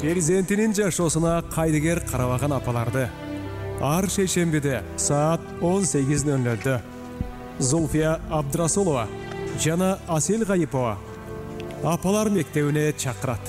перзентинин жашоосуна кайдыгер карабаган апаларды ар шейшембиде саат 18:00 Зульфия Абдрасулова жана Асел Гайипова апалар мектебине чакырат.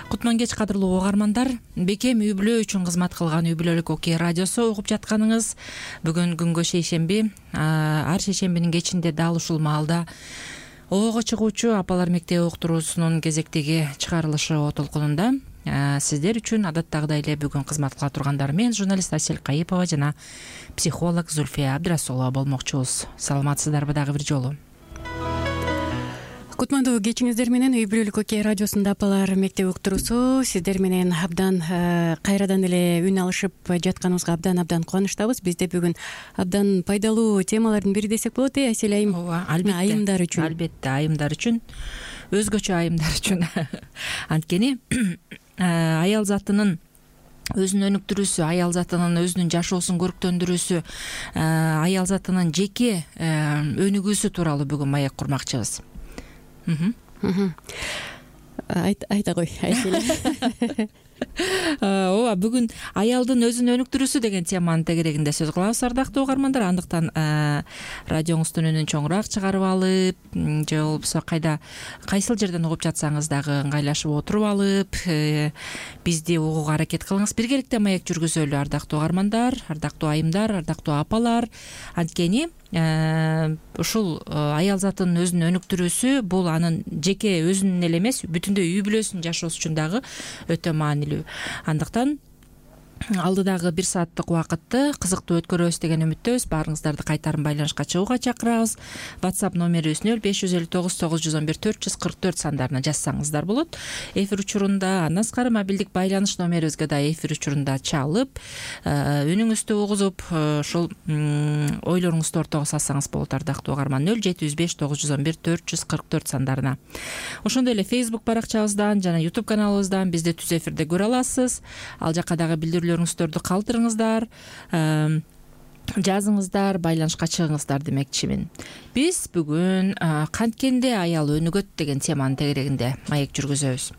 Кутман кеч кадырлуу угармандар, бекем үй бүлө үчүн кызмат кылган үй бүлөлүк окей радиосу угуп жатканыңыз. Бүгүн күнгө шейшемби, ар шейшембинин кечинде дал ушул маалда ого чыгуучу апалар мектеби уктуруусунун кезектеги чыгарылышы толкунунда сиздер үчүн адаттагыдай эле бүгүн кызмат кыла тургандар мен журналист Асел Гайипова жана психолог Зульфия Абдрасулова болмокчубуз. Саламатсыздарбы дагы бир жолу? Кутмандуу кечиңиздер менен үй бүлөлүк окей радиосунда апалар мектеби уктуруусу сиздер менен абдан кайрадан эле үн алышып жатканыбызга абдан кубанычтабыз. Бизде бүгүн абдан пайдалуу темалардын бири десек болот, Асель айым. Ооба, албетте. Айымдар үчүн. Албетте, айымдар үчүн, өзгөчө айымдар үчүн. Анткени аял затынын өзүнүн өнүктүрүүсү, аял затынын өзүнүн жашоосун көрктөндүрүүсү, аял затынын жеке өнүгүүсү тууралуу бүгүн маек курмакчыбыз. Айта кой, Айсель. Ооба, бүгүн аялдын өзүн өнүктүрүүсү деген теманын тегерегинде сөз кылабыз, ардактуу угармандар. Андыктан радионуздун үнүн чоңураак чыгарып алып, же болбосо кайсыл жерден угуп жатсаңыз дагы ыңгайлашып отуруп алып, бизди угууга аракет кылыңыз. Биргеликте маек жүргүзөлү, ардактуу угармандар, ардактуу айымдар, ардактуу апалар. Анткени ушул аял затынын өзүн өнүктүрүүсү бул анын жеке өзүнүн эле эмес, бүтүндөй үй бүлөсүнүн жашоосу үчүн дагы өтө маанилүү. Андыктан алдыдагы 1 сааттык убакытты кызыктуу өткөрөбүз деген үмүттөбүз. Баарыңыздарды кайтарым байланышка чыгууга чакырабыз. WhatsApp номерибиз 0559 911 444 сандарына жазсаңыздар болот. Эфир учурунда андан сырткары мобилдик байланыш номерибизге да эфир учурунда чалып, үнүңүздү угузуп, ушул ойлоруңузду ортого салсаңыз болот, ардактуу угарман. 0705 911 444 сандарына. Ошондой эле Facebook баракчабыздан жана YouTube каналыбыздан бизди түз эфирде көрө аласыз. Ал жака дагы билдирүүлөрүңүздөрдү калтырыңыздар, жазыңыздар, байланышка чыгыңыздар демекчимин. Биз бүгүн канткенде аял өнүгөт деген теманын тегерегинде маек жүргүзөбүз.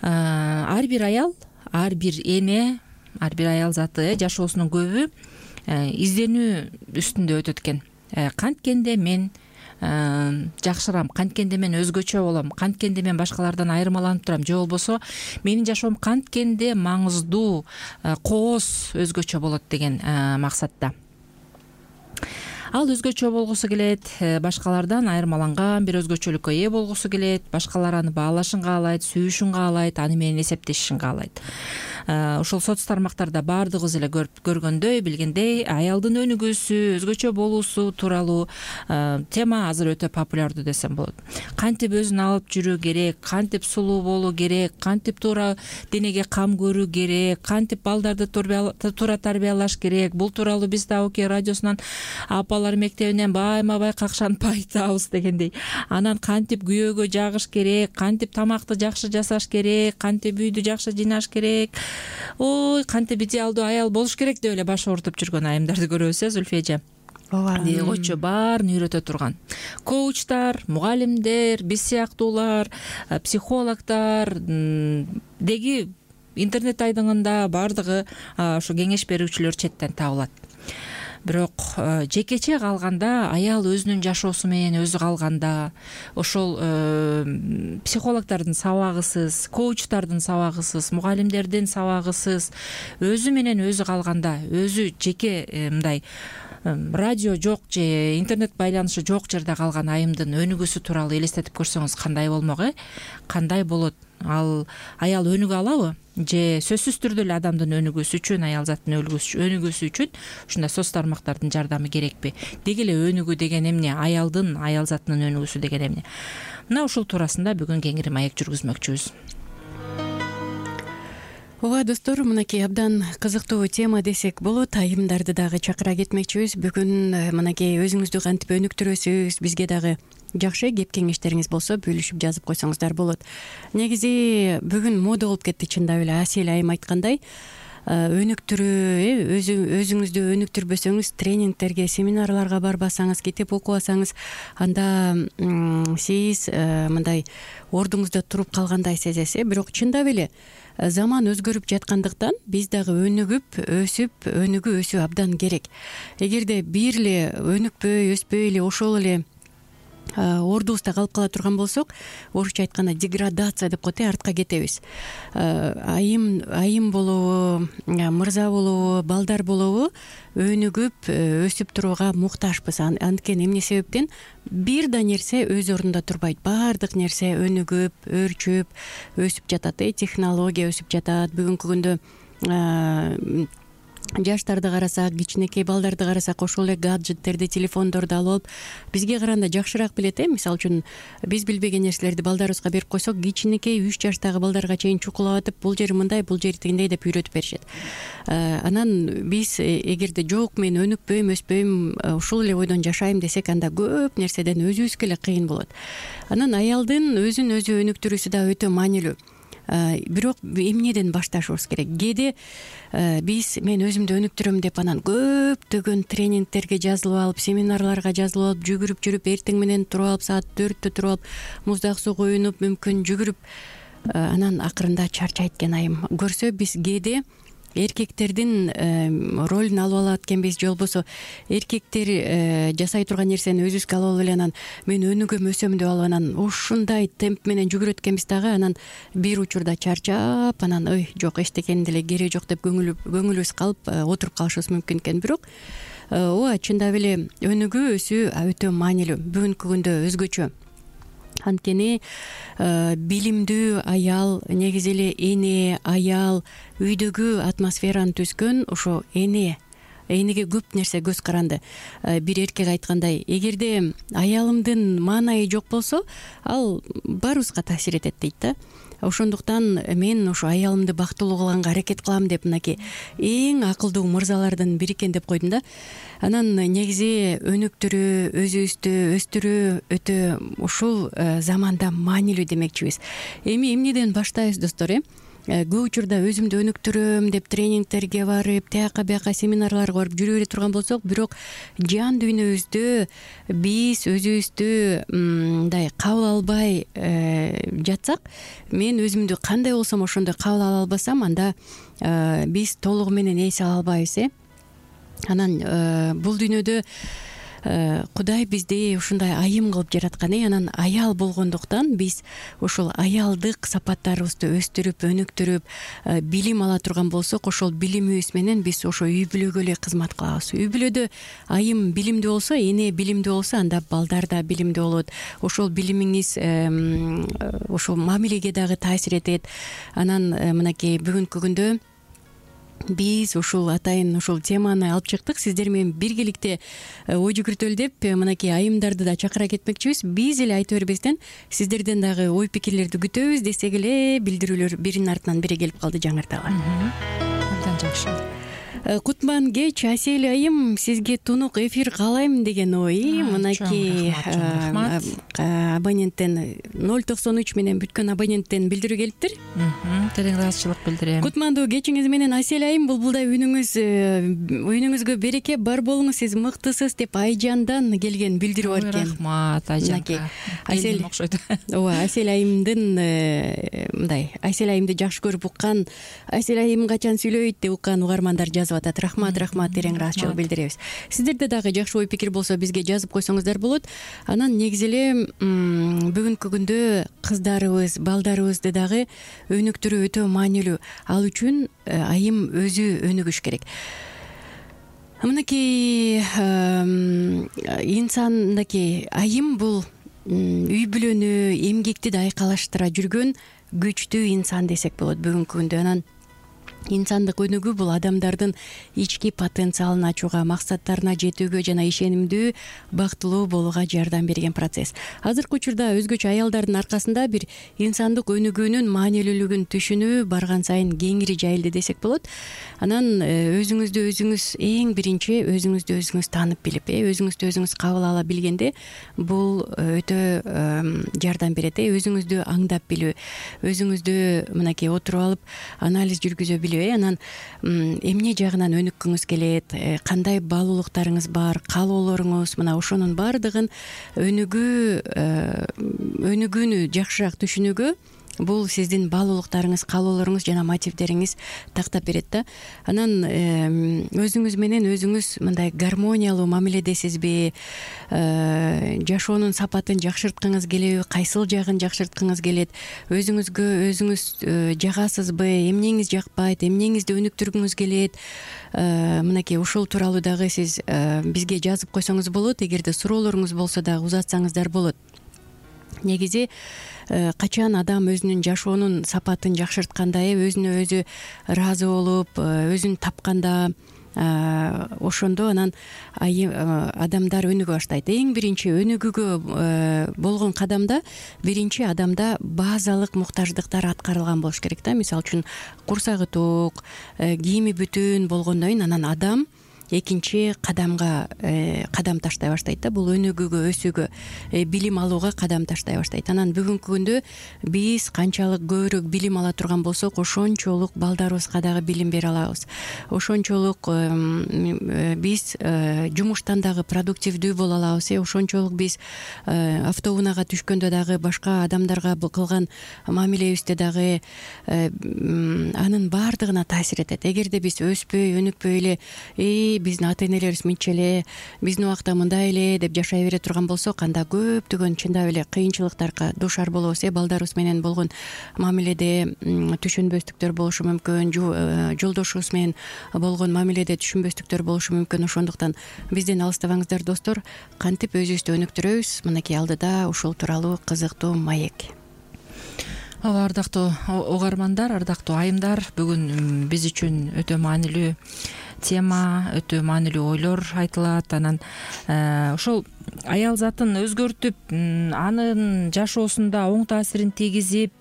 Ар бир аял, ар бир эне, ар бир аял заты жашоосунун көбү изденүү үстүндө өтөт экен. Канткенде мен жакшырам, канткенде мен өзгөчө болом, канткенде мен башкалардан айырмаланып турам, же болбосо менин жашоом канткенде маңыздуу, кооз, өзгөчө болот деген максатта. Ал өзгөчө болгусу келет, башкалардан айырмаланган бир өзгөчөлүккө ээ болгусу келет, башкалар аны баалашын каалайт, сүйүшүн каалайт, аны менен эсептешишин каалайт. Ушул соц тармактарда баардыгыбыз эле көргөндөй, билгендей, аялдын өнүгүүсү, өзгөчө болуусу тууралуу тема азыр өтө популярдуу десем болот. Кантип өзүн алып жүрүү керек, кантип сулуу болуу керек, кантип туура денеге кам көрүү керек, кантип балдарды туура тарбиялаш керек. Бул тууралуу биз да окей радиосунан апалар мектебинен байма-бай какшанып айтабыз дегендей. Анан кантип күйөөгө жагыш керек, кантип тамакты жакшы жасаш керек, кантип үйдү жакшы жыйнаш керек. Ой, кантип идеалдуу аял болуш керек деп эле баш оорутуп жүргөн айымдарды көрөбүз, Зульфия эже. Ооба. Койчу баарын үйрөтө турган коучтар, мугалимдер, биз сыяктуулар, психологдор деги интернет айдыңында баардыгы ушу кеңеш берүүчүлөр четтен табылат. Бирок жекече калганда, аял өзүнүн жашоосу менен өзү калганда, ошол психологдордун сабагысыз, коучтардын сабагысыз, мугалимдердин сабагысыз, өзү менен өзү калганда, өзү жеке мындай радио жок же интернет байланышы жок жерде калган айымдын өнүгүүсү тууралуу элестетип көрсөңүз кандай болмок, кандай болот? Ал аял өнүгө алабы? Же сөзсүз түрдө эле адамдын өнүгүүсү үчүн, аял заттын өнүгүүсү үчүн ушундай соц тармактардын жардамы керекпи? Деги эле өнүгүү деген эмне? Аялдын, аял заттынын өнүгүүсү деген эмне? Мына ушул туурасында бүгүн кеңири маек жүргүзмөкчүбүз. Ооба достор, мынакей абдан кызыктуу тема десек болот. Айымдарды дагы чакыра кетмекчибиз. Бүгүн мынакей өзүңүздү кантип өнүктүрөсүз, бизге дагы жакшы кеп кеңештериңиз болсо бөлүшүп жазып койсоңуздар болот. Негизи бүгүн мода болуп кетти, чындап эле Асель айым айткандай. өнүктүрүү, өзүңүздү өнүктүрбөсөңүз, тренингтерге, семинарларга барбасаңыз, китеп окубасаңыз, анда сиз мындай ордуңузда туруп калгандай сезесиз. Бирок чындап эле заман өзгөрүп жаткандыктан биз дагы өнүгүү өсүү абдан керек. Эгерде бир эле өнүкпөй, өспөй эле ошол эле ордубузда калып кала турган болсок, орусча айтканда деградация деп коет, артка кетебиз. Айым болобу, мырза болобу, балдар болобу өнүгүп өсүп турууга муктажбыз. Анткени эмне себептен бир да нерсе өз ордунда турбайт. Баардык нерсе өнүгүп, өөрчүп, өсүп жатат. Технология өсүп жатат. Бүгүнкү күндө жаштарды карасак, кичинекей балдарды карасак, ошол эле гаджеттерди, телефондорду алып алып бизге караганда жакшыраак билет. Мисалы үчүн биз билбеген нерселерди балдарыбызга берип койсок, кичинекей 3 жаштагы балдарга чейин чукулап атып, бул жери мындай, бул жери тигиндей деп үйрөтүп беришет. Анан биз эгерде жок, мен өнүкпөйм, өспөйм, ушул эле ойдон жашайм десек, анда көп нерседен өзүбүзгө эле кыйын болот. Анан аялдын өзүн өзү өнүктүрүүсү да өтө маанилүү. Бирок эмнеден башташыбыз керек? Кээде мен өзүмдү өнүктүрөм деп анан көптөгөн тренингтерге жазылып алып, семинарларга жазылып алып, жүгүрүп жүрүп, эртең менен туруп алып, саат 4-тө туруп алып, муздак суу куюнуп, мүмкүн жүгүрүп, анан акырында чарчайт экен айым. Көрсө биз кээде эркектердин ролун алып алат экенбиз, же болбосо эркектер жасай турган нерсени өзүбүзгө алып алып эле анан мен өнүгөм, өсөм деп алып анан ушундай темп менен жүгүрөт экенбиз дагы, анан бир учурда чарчап, анан жок, эчтекенин деле кереги жок деп көңүлүбүз калып отуруп калышыбыз мүмкүн экен. Бирок ооба, чындап эле өнүгүү өсүү өтө маанилүү. Бүгүнкү күндө өзгөчө. Анткени билимдүү аял, негизи эле эне, аял үйдөгү атмосфераны түзгөн ошо энеге көп нерсе көз каранды. Бир эркек айткандай, эгерде аялымдын маанайы жок болсо, ал баарыбызга таасир этет дейт да. Ошондуктан мен ошо аялымды бактылуу кылганга аракет кылам деп мынакей эң акылдуу мырзалардын бири экен деп койдум да. Анан негизи өнүктүрүү, өзүбүздү өстүрүү өтө ушул заманда маанилүү демекчибиз. Эмнеден баштайбыз, достор? Көп учурда өзүмдү өнүктүрөм деп тренингтерге барып, тияка бияка семинарларга барып жүрө бере турган болсок, бирок жан дүйнөбүздө биз өзүбүздү мындай кабыл албай жатсак, мен өзүмдү кандай болсом ошондой кабыл ала албасам, анда биз толугу менен эс ала албайбыз. Анан бул дүйнөдө Кудай бизди ушундай айым кылып жараткан. Анан аял болгондуктан биз ошол аялдык сапаттарыбызды өстүрүп, өнүктүрүп, билим ала турган болсок, ошол билимибиз менен биз ошо үй бүлөгө эле кызмат кылабыз. Үй бүлөдө айым билимдүү болсо, эне билимдүү болсо, анда балдар да билимдүү болот. Ошол билимиңиз ошол мамилеге дагы таасир этет. Анан мынакей бүгүнкү күндө биз ушул атайын ушул теманы алып чыктык. Сиздер менен биргеликте ой жүгүртөлү деп мынакей айымдарды да чакыра кетмекчибиз. Биз эле айта бербестен сиздерден дагы ой пикирлерди күтөбүз десек эле, билдирүүлөр биринин артынан бири келип калды, жаңырталы. Абдан жакшы. Кутман кеч, Асель айым, сизге тунук эфир каалайм деген ой. Мынакей абоненттен 093 менен бүткөн абоненттен билдирүү келиптир. Терең ыраазычылык билдирем. Кутмандуу кечиңиз менен Асель айым, булбулдай үнүңүзгө береке бар болуңуз, сиз мыктысыз деп Айжандан келген билдирүү бар экен. Рахмат Айжанга. Асель окшойт. Ооба, Асель айымдын мындай, Асель айымды жакшы көрүп уккан, Асель айым качан сүйлөйт деп уккан угармандар жазып атат. Рахмат, терең ыраазычылык билдиребиз. Сиздерде дагы жакшы ой пикир болсо бизге жазып койсоңуздар болот. Анан негизи эле бүгүнкү күндө кыздарыбыз, балдарыбызды дагы өнүктүрүү өтө маанилүү. Ал үчүн айым өзү өнүгүш керек. Мынакей инсандагы айым бул үй бүлөнү, эмгекти да айкалаштыра жүргөн күчтүү инсан десек болот бүгүнкү күндө. Анан инсандык өнүгүү бул адамдардын ички потенциалын ачууга, максаттарына жетүүгө жана ишенимдүү, бактылуу болууга жардам берген процесс. Азыркы учурда өзгөчө аялдардын аркасында бир инсандык өнүгүүнүн маанилүүлүгүн түшүнүү барган сайын кеңири жайылды десек болот. Анан өзүңүздү өзүңүз эң биринчи өзүңүздү өзүңүз таанып билип, өзүңүздү өзүңүз кабыл ала билгенде бул өтө жардам берет. Өзүңүздү аңдап билүү, өзүңүздү мынакей отуруп алып анализ жүргүзө билүү эле анан эмне жагынан өнүккүңүз келет, кандай баалуулуктарыңыз бар, каалоолоруңуз, мына ошонун баардыгын өнүгүүнү жакшыраак түшүнүүгө бул сиздин баалуулуктарыңыз, каалоолоруңуз жана мотивдериңиз тактап берет да. Анан өзүңүз менен өзүңүз мындай гармониялуу мамиледесизби, жашоонун сапатын жакшырткыңыз келеби, кайсыл жагын жакшырткыңыз келет, өзүңүзгө өзүңүз жагасызбы, эмнеңиз жакпайт, эмнеңизди өнүктүргүңүз келет, мынакей ушул тууралуу дагы сиз бизге жазып койсоңуз болот. Эгерде суроолоруңуз болсо дагы узатсаңыздар болот. Негизи качан адам өзүнүн жашоонун сапатын жакшыртканда, өзүнө өзү ыраазы болуп, өзүн тапканда, ошондо анан адамдар өнүгө баштайт. Эң биринчи өнүгүүгө болгон кадамда биринчи адамда базалык муктаждыктар аткарылган болуш керек да. Мисалы үчүн курсагы ток, кийими бүтүн болгондон кийин анан адам экинчи кадамга кадам таштай баштайт да. Бул өнүгүүгө, өсүүгө, билим алууга кадам таштай баштайт. Анан бүгүнкү күндө биз канчалык көбүрөөк билим ала турган болсок, ошончолук балдарыбызга дагы билим бере алабыз. Ошончолук биз жумуштан дагы продуктивдүү боло алабыз. Ошончолук биз автоунаага түшкөндө дагы, башка адамдарга кылган мамилебизде дагы анын баардыгына таасир этет. Эгерде биз өспөй, өнүкпөй эле биздин ата энелерибиз мынча эле, биздин убакта мындай эле деп жашай бере турган болсок, анда көптөгөн чындап эле кыйынчылыктарга дуушар болобуз. Балдарыбыз менен болгон мамиледе түшүнбөстүктөр болушу мүмкүн, жолдошубуз менен болгон мамиледе түшүнбөстүктөр болушу мүмкүн. Ошондуктан бизден алыстабаңыздар достор. Кантип өзүбүздү өнүктүрөбүз? Мынакей алдыда ушул тууралуу кызыктуу маек. Ардактуу угармандар, ардактуу айымдар, бүгүн биз үчүн өтө маанилүү тема, өтө маанилүү ойлор айтылат. Анан ошол аял затын өзгөртүп, анын жашоосунда оң таасирин тийгизип,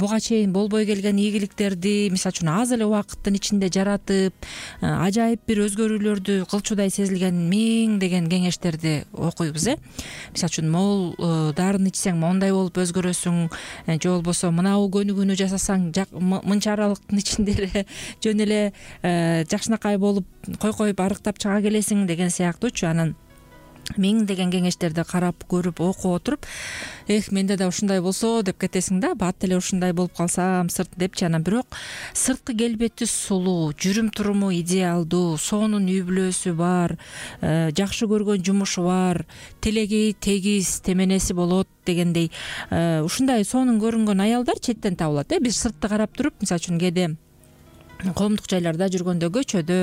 буга чейин болбой келген ийгиликтерди, мисалы үчүн аз эле убакыттын ичинде жаратып, ажайып бир өзгөрүүлөрдү кылчудай сезилген миңдеген кеңештерди окуйбуз. Мисалы үчүн могул дарын ичсең мондай болуп өзгөрөсүң, же болбосо мынау көнүгүүнү жасасаң мынча аралыктын ичинде эле жөн эле жакшынакай болуп койкоюп арыктап чыга келесиң деген сыяктуучу. Анан миңдеген кеңештерди карап, көрүп, окуп отуруп, менде да ушундай болсо деп кетесиң да, бат эле ушундай болуп калсам сырт депчи. Анан бирок сырткы келбети сулуу, жүрүм туруму идеалдуу, сонун үй бүлөсү бар, жакшы көргөн жумушу бар, тилеги тегиз, теменеси болот дегендей ушундай сонун көрүнгөн аялдар четтен табылат. Биз сыртты карап туруп, мисалы үчүн кээде коомдук жайларда жүргөндө, көчөдө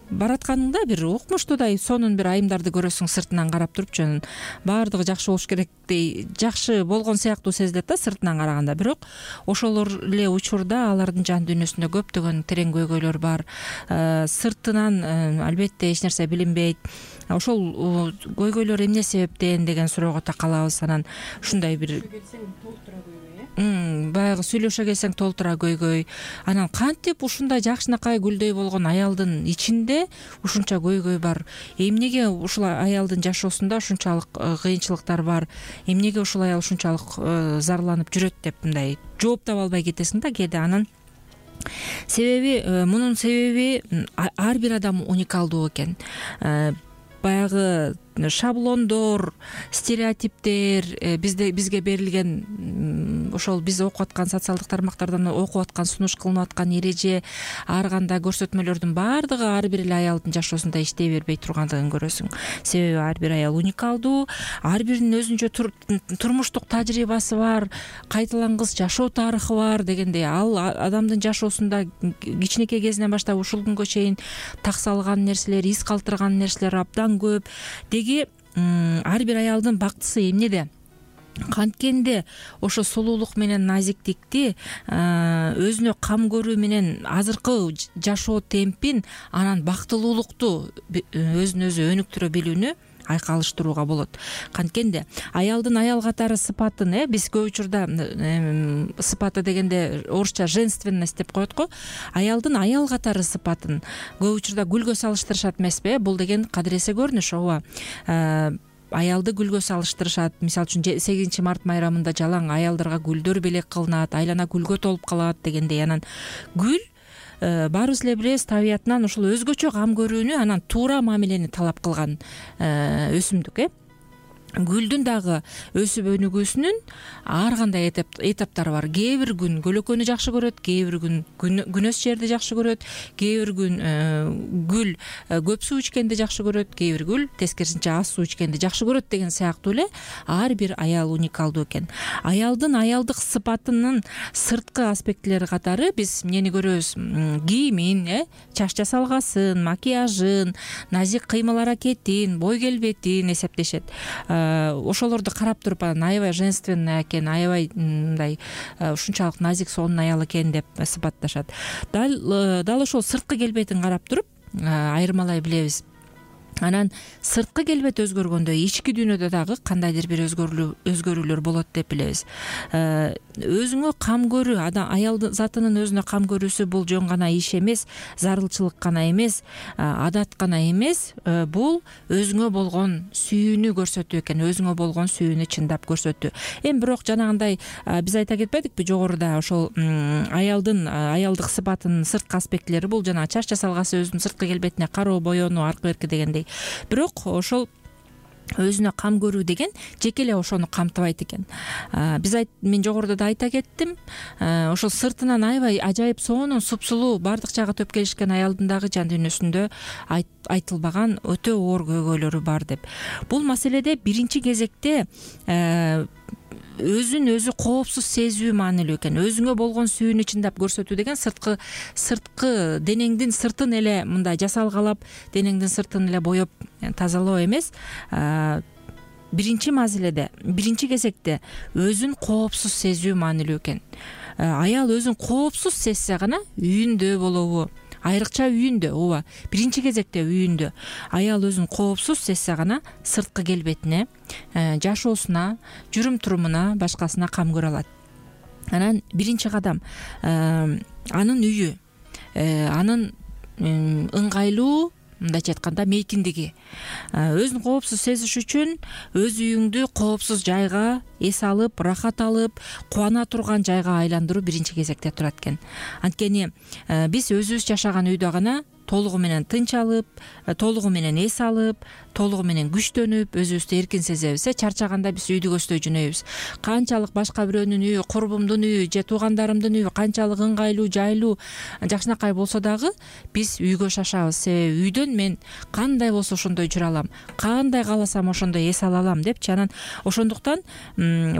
баратканыңда бир укмуштуудай сонун бир айымдарды көрөсүң, сыртынан карап турупчу. Баардыгы жакшы болуш керектей, жакшы болгон сыяктуу сезилет да сыртынан караганда. Бирок ошолор эле учурда алардын жан дүйнөсүндө көптөгөн терең көйгөйлөр бар. Сыртынан албетте эч нерсе билинбейт. Ошол көйгөйлөр эмне себептен деген суроого такалабыз. Анан ушундай бир баягы сүйлөшө келсең толтура көйгөй. Анан кантип ушундай жакшынакай гүлдөй болгон аялдын ичинде ушунча көйгөй бар? Эмнеге ушул аялдын жашоосунда ушунчалык кыйынчылыктар бар? Эмнеге ушул аял ушунчалык зарланып жүрөт деп мындай жооп таба албай кетесиң да кээде. Анын себеби, мунун себеби ар бир адам уникалдуу экен. Баягы шаблондор, стереотиптер, бизге берилген ошол биз окуп аткан социалдык тармактардан окуп аткан, сунуш кылынып аткан эреже, ар кандай көрсөтмөлөрдүн баардыгы ар бир эле аялдын жашоосунда иштей бербей тургандыгын көрөсүң. Себеби ар бир аял уникалдуу, ар биринин өзүнчө турмуштук тажрыйбасы бар, кайталангыс жашоо тарыхы бар дегендей. Ал адамдын жашоосунда кичинекей кезинен баштап ушул күнгө чейин таксалган нерселер, из калтырган нерселер абдан көп. Ар бир аялдын бактысы эмнеде? Канткенде ошо сулуулук менен назиктикти, өзүнө кам көрүү менен азыркы жашоо темпин, анан бактылуулукту өзүн өзү өнүктүрө билүүнү айкалыштырууга болот. Канткенде аялдын аял катары сыпатын, биз көп учурда сыпаты дегенде орусча женственность деп коет го. Аялдын аял катары сыпатын көп учурда гүлгө салыштырышат эмеспи? Бул деген кадыресе көрүнүш, ооба. аялды гүлгө салыштырышат. Мисалы үчүн 8 март майрамында жалаң аялдарга гүлдөр белек кылынат, айлана гүлгө толуп калат дегендей. Анан гүл баарыбыз эле билебиз, табиятынан ушул өзгөчө кам көрүүнү, анан туура мамилени талап кылган өсүмдүк. Гүлдүн дагы өсүп өнүгүүсүнүн ар кандай этаптары бар. Кээ бир күн көлөкөнү жакшы көрөт, кээ бир күн күнөс жерди жакшы көрөт, кээ бир күн гүл көп суу ичкенди жакшы көрөт, кээ бир гүл тескерисинче аз суу ичкенди жакшы көрөт деген сыяктуу эле ар бир аял уникалдуу экен. Аялдын аялдык сыпатынын сырткы аспектилери катары биз эмнени көрөбүз? Кийимин, чач жасалгасын, макияжын, назик кыймыл аракетин, бой келбетин эсептешет. Ошолорду карап туруп анан аябай женственный экен, аябай мындай ушунчалык назик сонун аял экен деп сыпатташат. Дал ошол сырткы келбетин карап туруп айырмалай билебиз. Анан сырткы келбет өзгөргөндө ички дүйнөдө дагы кандайдыр бир өзгөрүүлөр болот деп билебиз. Өзүңө кам көрүү, аял затынын өзүнө кам көрүүсү бул жөн гана иш эмес, зарылчылык гана эмес, адат гана эмес, бул өзүңө болгон сүйүүнү көрсөтүү экен, өзүңө болгон сүйүүнү чындап көрсөтүү. Эми бирок жанагындай биз айта кетпедикпи жогоруда, ошол аялдын аялдык сыпатынын сырткы аспектилери бул жана чач жасалгасы, өзүнүн сырткы келбетине кароо, боенуу, аркы берки дегендей. Бирок ошол өзүнө кам көрүү деген жеке эле ошону камтыбайт экен. Мен жогоруда да айта кеттим, ошол сыртынан аябай ажайып сонун, супсулуу, баардык жагы төп келишкен аялдын дагы жан дүйнөсүндө айтылбаган өтө оор көйгөйлөрү бар деп. Бул маселеде биринчи кезекте өзүн өзү коопсуз сезүү маанилүү экен. Өзүңө болгон сүйүүнү чындап көрсөтүү деген сырткы денеңдин сыртын эле мындай жасалгалап, денеңдин сыртын эле боеп тазалоо эмес. Биринчи кезекте өзүн коопсуз сезүү маанилүү экен. Аял өзүн коопсуз сезсе гана үйүндө болобу, айрыкча үйүндө, ооба, биринчи кезекте үйүндө аял өзүн коопсуз сезсе гана сырткы келбетине, жашоосуна, жүрүм турумуна, башкасына кам көрө алат. Анан биринчи кадам анын үйү, анын ыңгайлуу, мындайча айтканда мейкиндиги. Өзүн коопсуз сезиш үчүн өз үйүңдү коопсуз жайга эс алып, рахат алып, кубана турган жайга айландыруу биринчи кезекте турат экен. Анткени биз өзүбүз жашаган үйдө гана толугу менен тынч алып, толугу менен эс алып, толугу менен күчтөнүп, өзүбүздү эркин сезебиз. Чарчаганда биз үйдү көздөй жөнөйбүз. Канчалык башка бирөөнүн үйү, курбумдун үйү же туугандарымдын үйү канчалык ыңгайлуу, жайлуу, жакшынакай болсо дагы биз үйгө шашабыз. Себеби үйдөн мен кандай болсо ошондой жүрө алам, кандай кааласам ошондой эс ала алам депчи. Анан ошондуктан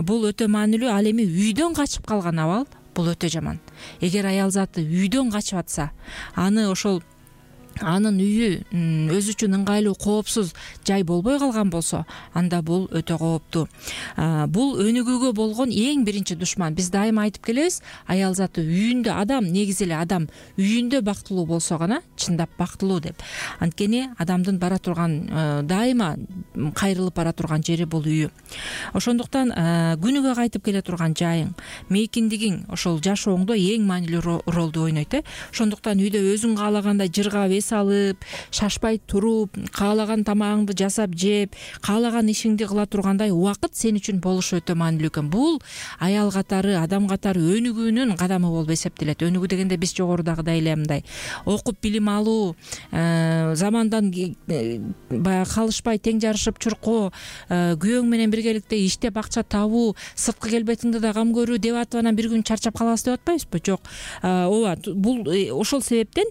бул өтө маанилүү. Ал эми үйдөн качып калган абал бул өтө жаман. Эгер аял заты үйдөн качып атса, анын үйү өзү үчүн ыңгайлуу, коопсуз жай болбой калган болсо, анда бул өтө кооптуу. Бул өнүгүүгө болгон эң биринчи душман. Биз дайыма айтып келебиз, аял заты үйүндө, негизи эле адам үйүндө бактылуу болсо гана чындап бактылуу деп. Анткени адамдын бара турган, дайыма кайрылып бара турган жери бул үйү. Ошондуктан күнүгө кайтып келе турган жайың, мейкиндигиң ошол жашооңдо эң маанилүү ролду ойнойт. Ошондуктан үйдө өзүң каалагандай жыргап, алып, шашпай туруп, каалаган тамагыңды жасап жеп, каалаган ишиңди кыла тургандай убакыт сен үчүн болушу өтө маанилүү экен. Бул аял катары, адам катары өнүгүүнүн кадамы болуп эсептелет. Өнүгүү дегенде биз жогорудагыдай эле мындай окуп билим алуу, замандан баягы калышпай тең жарышып чуркоо, күйөөң менен биргеликте иштеп акча табуу, сырткы келбетиңди да кам көрүү деп атып анан бир күн чарчап калабыз деп атпайбызбы? Жок. Ооба, бул ошол себептен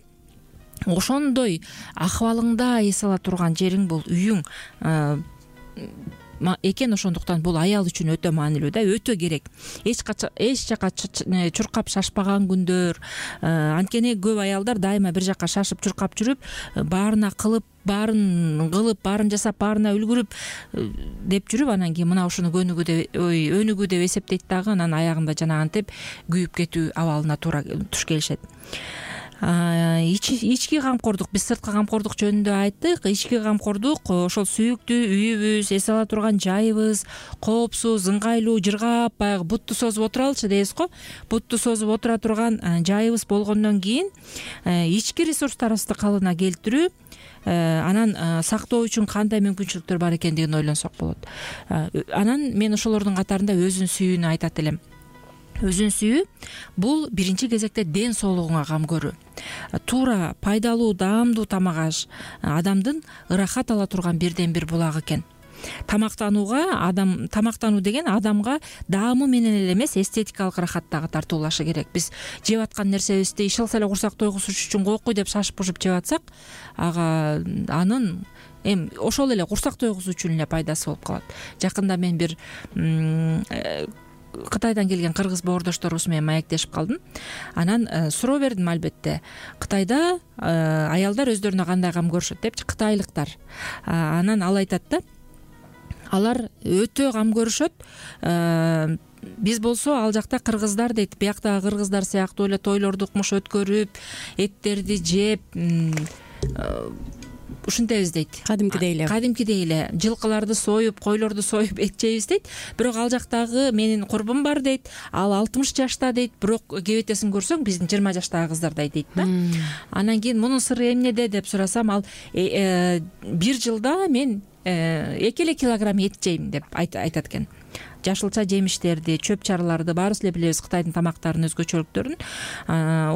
ошондой акыбалыңда эс ала турган жериң бул үйүң экен. Ошондуктан бул аял үчүн өтө маанилүү да, өтө керек. Эч жака чуркап шашпаган күндөр. Анткени көп аялдар дайыма бир жака шашып чуркап жүрүп, баарына кылып, баарын жасап, баарына үлгүрүп деп жүрүп, анан кийин мына ушуну өнүгүү деп эсептейт дагы, анан аягында жанагынтип күйүп кетүү абалына туш келишет. Ички камкордук, биз сырткы камкордук жөнүндө айттык. Ички камкордук ошол сүйүктүү үйүбүз, эс ала турган жайыбыз, коопсуз, ыңгайлуу, жыргап, баягы бутту созуп отуралычы дейбиз го. Бутту созуп отура турган жайыбыз болгондон кийин ички ресурстарыбызды калыбына келтирүү, анан сактоо үчүн кандай мүмкүнчүлүктөр бар экендигин ойлонсок болот. Анан мен ошолордун катарында өзүн сүйүүнү айтат элем. Өзүн сүйүү бул биринчи кезекте ден соолугуңа кам көрүү. Туура, пайдалуу, даамдуу тамак аш адамдын ырахат ала турган бирден бир булагы экен. Тамактануу деген адамга даамы менен эле эмес, эстетикалык ырахат дагы тартуулашы керек. Биз жеп аткан нерсебизди иш алса эле курсак тойгузуш үчүн койкуй деп шашып пушуп жеп атсак, анын ошол эле курсак тойгузуу үчүн эле пайдасы болуп калат. Жакында мен бир Кытайдан келген кыргыз боордошторубуз менен маектешип калдым. Анан суроо бердим, албетте. Кытайда аялдар өздөрүнө кандай кам көрүшөт депчи, кытайлыктар. Анан ал айтат да, алар өтө кам көрүшөт. Биз болсо ал жакта кыргыздар дейт, бияктагы кыргыздар сыяктуу эле тойлорду укмуш өткөрүп, эттерди жеп, ушинтебиз дейт. Кадимкидей эле жылкыларды союп, койлорду союп эт жейбиз дейт. Бирок ал жактагы менин курбум бар дейт. Ал 60 жашта дейт, бирок кебетесин көрсөң биздин 20 жаштагы кыздардай дейт да. Анан кийин мунун сыры эмнеде деп сурасам, ал бир жылда мен 2 килограмм эт жейм деп айтат экен. Жашылча жемиштерди, чөп чараларды баарыбыз эле билебиз, Кытайдын тамактарынын өзгөчөлүктөрүн.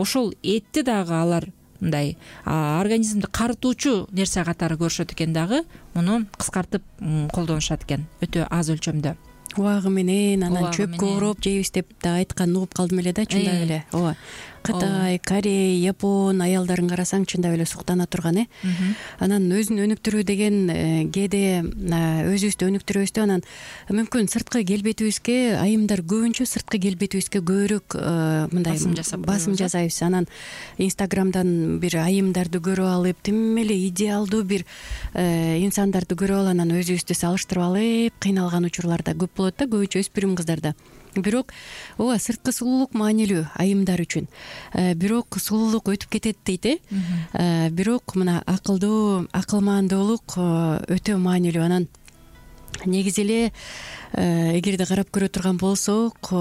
Ошол этти дагы алар мындай организмди карытуучу нерсе катары көрүшөт экен дагы, муну кыскартып колдонушат экен, өтө аз өлчөмдө. Убагы менен анан чөпкө ороп жейбиз деп да айтканын угуп калдым эле да, чындап эле. Ооба. Кытай, Корея, Япон аялдарын карасаң чындап эле суктана турган. Анан өзүн өнүктүрүү деген кээде өзүбүздү өнүктүрөбүз, анан мүмкүн сырткы келбетибизге, айымдар көбүнчө сырткы келбетибизге көбүрөөк мындай басым жасайбыз. Анан Инстаграмдан бир айымдарды көрүп алып, тим эле идеалдуу бир инсандарды көрүп алып, анан өзүбүздү салыштырып алып кыйналган учурлар да көп болот да, көбүнчө өспүрүм кыздарда. Бирок ооба, сырткы сулуулук маанилүү айымдар үчүн. Бирок сулуулук өтүп кетет дейт. Бирок мына акылмандуулук өтө маанилүү. Анан негизи эле эгерде карап көрө турган болсок,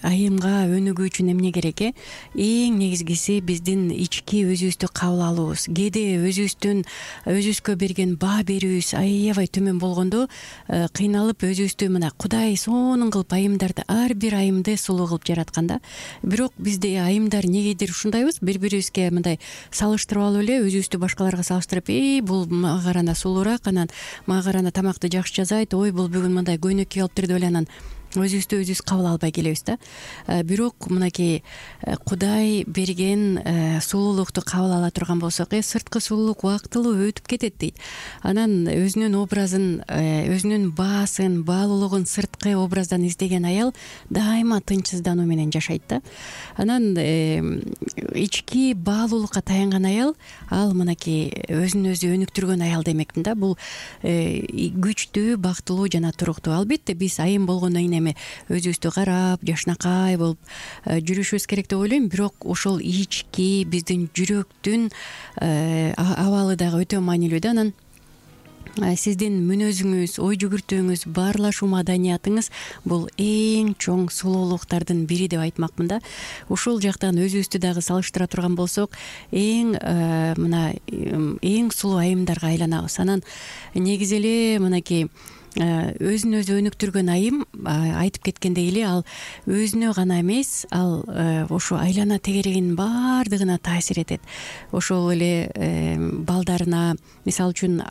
айымга өнүгүү үчүн эмне керек? Эң негизгиси биздин ички өзүбүздү кабыл алуубуз. Кээде өзүбүзгө берген баа берүүбүз аябай төмөн болгондо кыйналып өзүбүздү мына Кудай сонун кылып айымдарды, ар бир айымды сулуу кылып жараткан да. Бирок бизде айымдар негедир ушундайбыз, бири-бирибизге мындай салыштырып алып эле өзүбүздү башкаларга салыштырып, бул мага карана сулуураак, анан мага карана тамакты жакшы жасайт, бул бүгүн мындай көйнөккө алыптыр деп эле анан өзүбүздү өзүбүз кабыл албай келебиз да. Бирок мынакей Кудай берген сулуулукту кабыл ала турган болсок, сырткы сулуулук убактылуу өтүп кетет дейт. Анан өзүнүн образын, өзүнүн баасын, баалуулугун сырткы образдан издеген аял дайыма тынчсыздануу менен жашайт да. Анан ички баалуулукка таянган аял, ал мынакей өзүн өзү өнүктүргөн аял демекмин да. Бул күчтүү, бактылуу жана туруктуу. Албетте биз айым болгондон кийин өзүбүздү карап, жашнакай болуп жүрүшүбүз керек деп ойлойм. Бирок ошол ички биздин жүрөктүн абалы дагы өтө маанилүү да. Анан сиздин мүнөзүңүз, ой жүгүртүүңүз, баарлашуу маданиятыңыз бул эң чоң сулуулуктардын бири деп айтмакмын да. Ушул жактан өзүбүздү дагы салыштыра турган болсок, эң сулуу айымдарга айланабыз. Анан негизи эле мынакей өзүн өзү өнүктүргөн айым, айтып кеткендей эле, ал өзүнө гана эмес, ал ошо айлана тегерегинин баардыгына таасир этет. Ошол эле балдарына, мисалы үчүн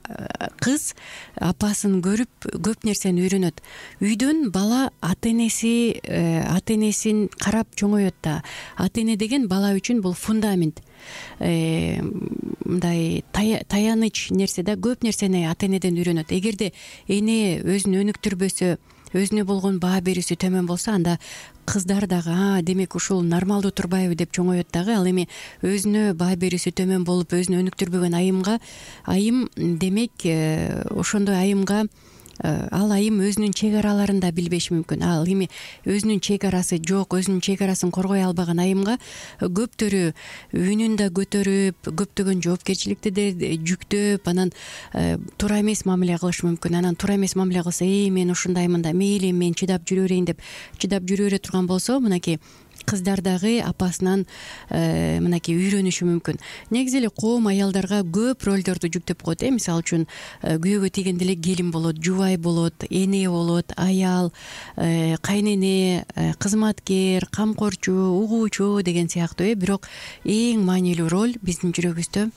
кыз апасын көрүп көп нерсени үйрөнөт. Үйдөн бала ата энесин карап чоңойот да. Ата эне деген бала үчүн бул фундамент. Мындай таяныч нерсе да, көп нерсени ата энеден үйрөнөт. Эгерде эне өзүн өнүктүрбөсө, өзүнө болгон баа берүүсү төмөн болсо, анда кыздар дагы демек ушул нормалдуу турбайбы деп чоңойот дагы. Ал эми өзүнө баа берүүсү төмөн болуп өзүн өнүктүрбөгөн айым демек ошондой айымга ал айым өзүнүн чек араларын да билбеши мүмкүн. Ал эми өзүнүн чек арасы жок, өзүнүн чек арасын коргой албаган айымга көптөрү үнүн да көтөрүп, көптөгөн жоопкерчиликти да жүктөп, анан туура эмес мамиле кылышы мүмкүн. Анан туура эмес мамиле кылса, мен ушундаймын да, мейли мен чыдап жүрө берейин деп чыдап жүрө бере турган болсо, мынакей кыздар дагы апасынан мынакей үйрөнүшү мүмкүн. Негизи эле коом аялдарга көп ролдорду жүктөп коет. Мисалы үчүн күйөөгө тийгенде эле келин болот, жубай болот, эне болот, аял, кайнене, кызматкер, камкорчу, угуучу деген сыяктуу. Бирок эң маанилүү роль биздин жүрөгүбүздө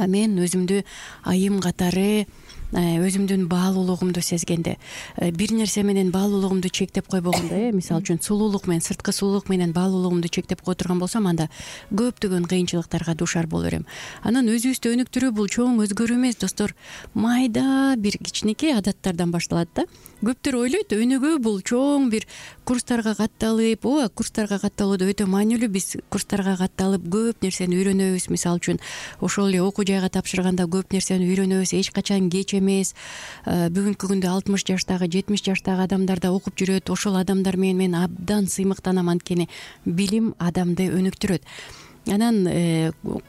мен өзүмдү айым катары өзүмдүн баалуулугумду сезгенде, бир нерсе менен баалуулугумду чектеп койбогондо, мисалы үчүн сулуулук менен, сырткы сулуулук менен баалуулугумду чектеп кое турган болсом, анда көптөгөн кыйынчылыктарга дуушар боло берем. Анан өзүбүздү өнүктүрүү бул чоң өзгөрүү эмес, достор, майда бир кичинекей адаттардан башталат да. Көптөр ойлойт, өнүгүү бул чоң бир курстарга катталып, ооба, курстарга катталуу да өтө маанилүү. Биз курстарга катталып көп нерсени үйрөнөбүз. Мисалы үчүн ошол эле окуу жайга тапшырганда көп нерсени үйрөнөбүз. Эч качан кеч эмес. Бүгүнкү күндө 60 жаштагы, 70 жаштагы адамдар да окуп жүрөт. Ошол адамдар менен мен абдан сыймыктанам, анткени билим адамды өнүктүрөт. Анан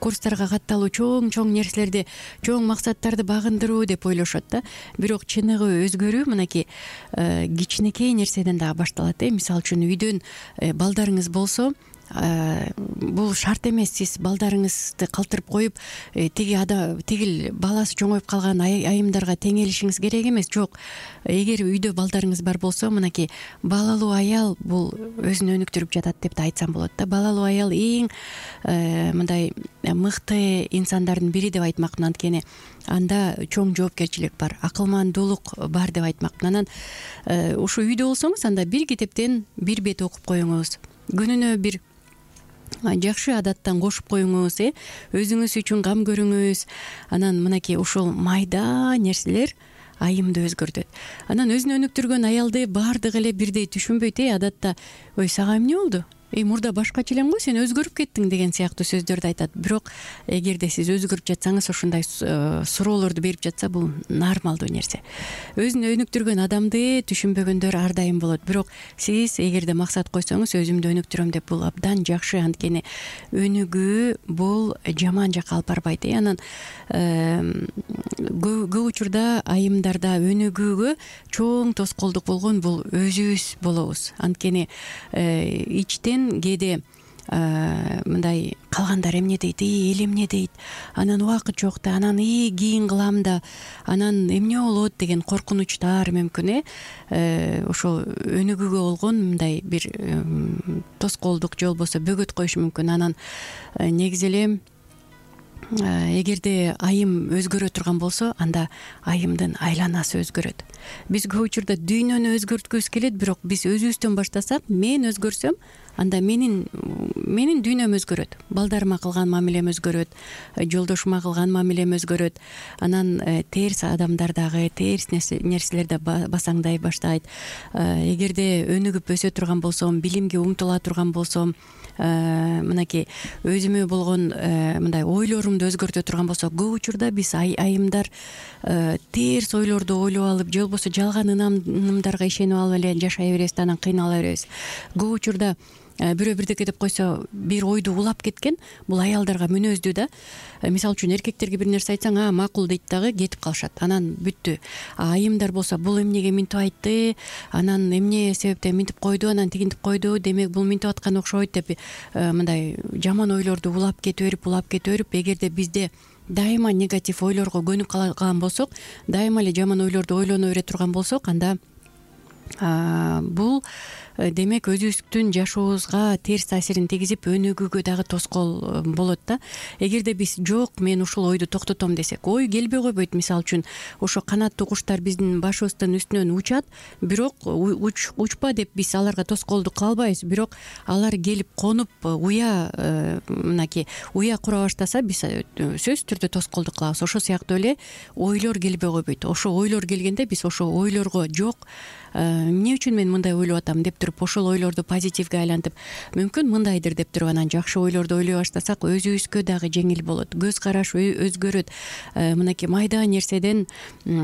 курстарга катталуу, чоң нерселерди, чоң максаттарды багындыруу деп ойлошот да. Бирок чыныгы өзгөрүү мынакей кичинекей нерседен дагы башталат. Мисалы үчүн үйдөн балдарыңыз болсо, бул шарт эмес. Сиз балдарыңызды калтырып коюп, тигил баласы чоңоюп калган айымдарга теңелишиңиз керек эмес. Жок. Эгер үйдө балдарыңыз бар болсо, мынакей балалуу аял бул өзүн өнүктүрүп жатат деп да айтсам болот да. Балалуу аял эң мындай мыкты инсандардын бири деп айтмакмын, анткени анда чоң жоопкерчилик бар, акылмандуулук бар деп айтмакмын. Анан ушу үйдө болсоңуз, анда бир китептен бир бет окуп коюңуз. Күнүнө бир жакшы адаттан кошуп коюңуз, өзүңүз үчүн кам көрүңүз. Анан мынакей ушул майда нерселер айымды өзгөртөт. Анан өзүн өнүктүргөн аялды баардыгы эле бирдей түшүнбөйт. Адатта ой, сага эмне болду? Мурда башкача элең го, сен өзгөрүп кеттиң деген сыяктуу сөздөрдү айтат. Бирок эгерде сиз өзгөрүп жатсаңыз, ушундай суроолорду берип жатса, бул нормалдуу нерсе. Өзүн өнүктүргөн адамды түшүнбөгөндөр ар дайым болот. Бирок сиз эгерде максат койсоңуз, өзүмдү өнүктүрөм деп, бул абдан жакшы, анткени өнүгүү бул жаман жакка алып барбайт. Анан көп учурда айымдарда өнүгүүгө чоң тоскоолдук болгон бул өзүбүз болобуз. Анткени ичтен кээде мындай калгандар эмне дейт, эл эмне дейт, анан убакыт жок да, анан кийин кылам да, анан эмне болот деген коркунучтар мүмкүн. Ошол өнүгүүгө болгон мындай бир тоскоолдук же болбосо бөгөт коюшу мүмкүн. Анан негизи эле эгерде айым өзгөрө турган болсо, анда айымдын айланасы өзгөрөт. Биз көп учурда дүйнөнү өзгөрткүбүз келет, бирок биз өзүбүздөн баштасак, мен өзгөрсөм, анда менин дүйнөм өзгөрөт. Балдарыма кылган мамилем өзгөрөт, жолдошума кылган мамилем өзгөрөт. Анан терс адамдар дагы, терс нерселер да басаңдай баштайт. Эгерде өнүгүп өсө турган болсом, билимге умтула турган болсом, мынакей өзүмө болгон мындай ойлорумду өзгөртө турган болсо, көп учурда биз айымдар терс ойлорду ойлоп алып, же болбосо жалган ынымдарга ишенип алып эле жашай беребиз да, анан кыйнала беребиз. Көп учурда бирөө бирдеке деп койсо, бир ойду улап кеткен, бул аялдарга мүнөздүү да. Мисалы үчүн эркектерге бир нерсе айтсаң, макул дейт дагы кетип калышат. Анан бүттү. Айымдар болсо, бул эмнеге минтип айтты, анан эмне себептен минтип койду, анан тигинтип койду, демек бул минтип аткан окшойт деп мындай жаман ойлорду улап кете берип, эгерде бизде дайыма негатив ойлорго көнүп калган болсок, дайыма эле жаман ойлорду ойлоно бере турган болсок, анда бул демек өзүбүздүн жашообузга терс таасирин тийгизип, өнүгүүгө дагы тоскоол болот да. Эгерде биз жок, мен ушул ойду токтотом десек, ой келбей койбойт. Мисалы үчүн ошо канаттуу куштар биздин башыбыздын үстүнөн учат, бирок учпа деп биз аларга тоскоолдук кыла албайбыз. Бирок алар келип конуп, мынакей уя кура баштаса, биз сөзсүз түрдө тоскоолдук кылабыз. Ошол сыяктуу эле ойлор келбей койбойт. Ошо ойлор келгенде биз ошо ойлорго жок, эмне үчүн мен мындай ойлоп атам деп туруп, ошол ойлорду позитивге айлантып, мүмкүн мындайдыр деп туруп, анан жакшы ойлорду ойлой баштасак, өзүбүзгө дагы жеңил болот. Көз караш өзгөрөт. Мынакей майда нерседен